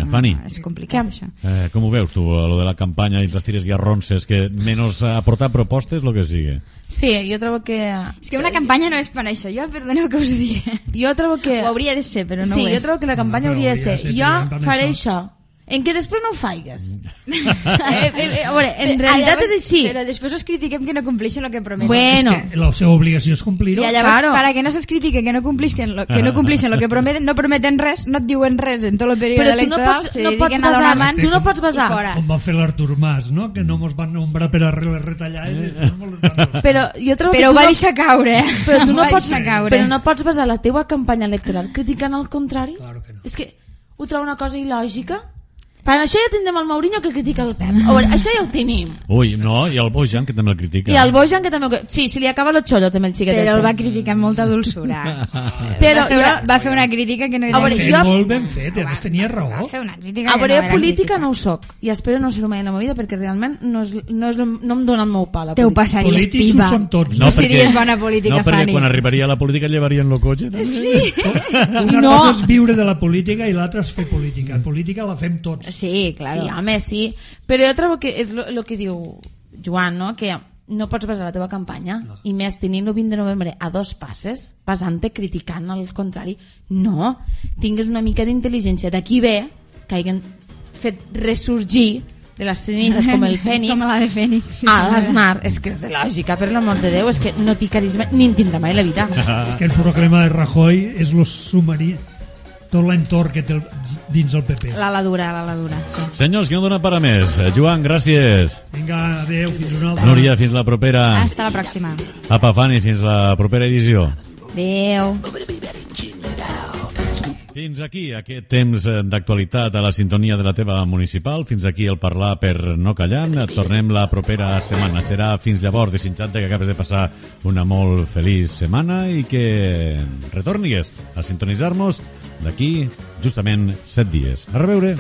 Speaker 2: Fanny,
Speaker 3: és complicat això.
Speaker 2: Com ho veus tu, lo de la campanya i les tires i arronses, que menys aportar propostes, lo que sigui?
Speaker 5: Sí, jo trobo que...
Speaker 3: És que una campanya no és per això, perdoneu que us digui.
Speaker 5: Jo trobo que...
Speaker 3: Ho hauria de ser, però no ho és.
Speaker 5: Sí, jo trobo que la campanya hauria de ser. Jo faré això. En què després no ho faigues. A veure, en realitat és així.
Speaker 3: Però després us critiquem que no compleixen el que prometen.
Speaker 5: Bueno.
Speaker 4: És que la seva obligació és complir-ho.
Speaker 3: I llavors, para que no se'ls critique que no compleixen el que prometen, no prometen res, no et diuen res en tot el període electoral, se dediquen a donar mans.
Speaker 5: Tu no pots basar.
Speaker 4: Com va fer l'Artur Mas, no? Que no mos van nombrar per a les retallades.
Speaker 5: Però jo trobo
Speaker 3: que ho va deixar caure,
Speaker 5: Però tu no pots basar la teua campanya electoral criticant el contrari.
Speaker 4: Claro que no.
Speaker 5: És que ho trobo una cosa il·lògica. Per això ja tindrem el Mourinho que critica el Pep. A veure, això ja ho tenim.
Speaker 2: Ui, no, i el Bojan que també el critica.
Speaker 5: I el Bojan que també... Sí, si li acaba el xollo també el xiquet.
Speaker 3: Però el va criticar amb molta dolçura.
Speaker 5: Però
Speaker 3: va fer una crítica que no era...
Speaker 4: Molt ben fet, a més tenia raó.
Speaker 3: Va fer una crítica
Speaker 5: a veure, política no ho soc. I espero no ser-ho mai en la meva vida perquè realment no em dona el meu pal.
Speaker 3: Te ho passaries pipa. No series bona política, Fanny.
Speaker 2: No, perquè quan arribaria a la política llevarien el cotxe.
Speaker 3: Sí.
Speaker 4: Una cosa és viure de la política i l'altra és fer política. Política la fem tots.
Speaker 3: Sí, claro.
Speaker 5: Sí, home, sí. Però jo trobo que és el que diu Joan, no? Que no pots basar la teva campanya, i més tenint el 20 de novembre a 2 passes, basant-te criticant al contrari. No, tingues una mica d'intel·ligència. D'aquí ve que hagin fet ressorgir de les cenizes com el Fènix,
Speaker 3: com la de Fènix, sí,
Speaker 5: a l'Aznar. És que és de lògica, per l'amor de Déu, és que no té carisma ni en tindrà mai la vida.
Speaker 4: És que el problema de Rajoy és lo submarí, tot l'entorn que té dins el PP.
Speaker 3: L'ala dura, sí.
Speaker 2: Senyors, que no dona per a més. Joan, gràcies.
Speaker 4: Vinga, adeu, fins una altra.
Speaker 2: Núria, fins la propera.
Speaker 3: Hasta la pròxima.
Speaker 2: Apa, Fanny, fins la propera edició.
Speaker 3: Adeu.
Speaker 2: Fins aquí aquest temps d'actualitat a la sintonia de la teva municipal. Fins aquí el parlar per no callar. Tornem la propera setmana. Serà fins llavors, desitjant-te que acabes de passar una molt feliç setmana i que retornis a sintonitzar-nos d'aquí justament 7 dies. A reveure!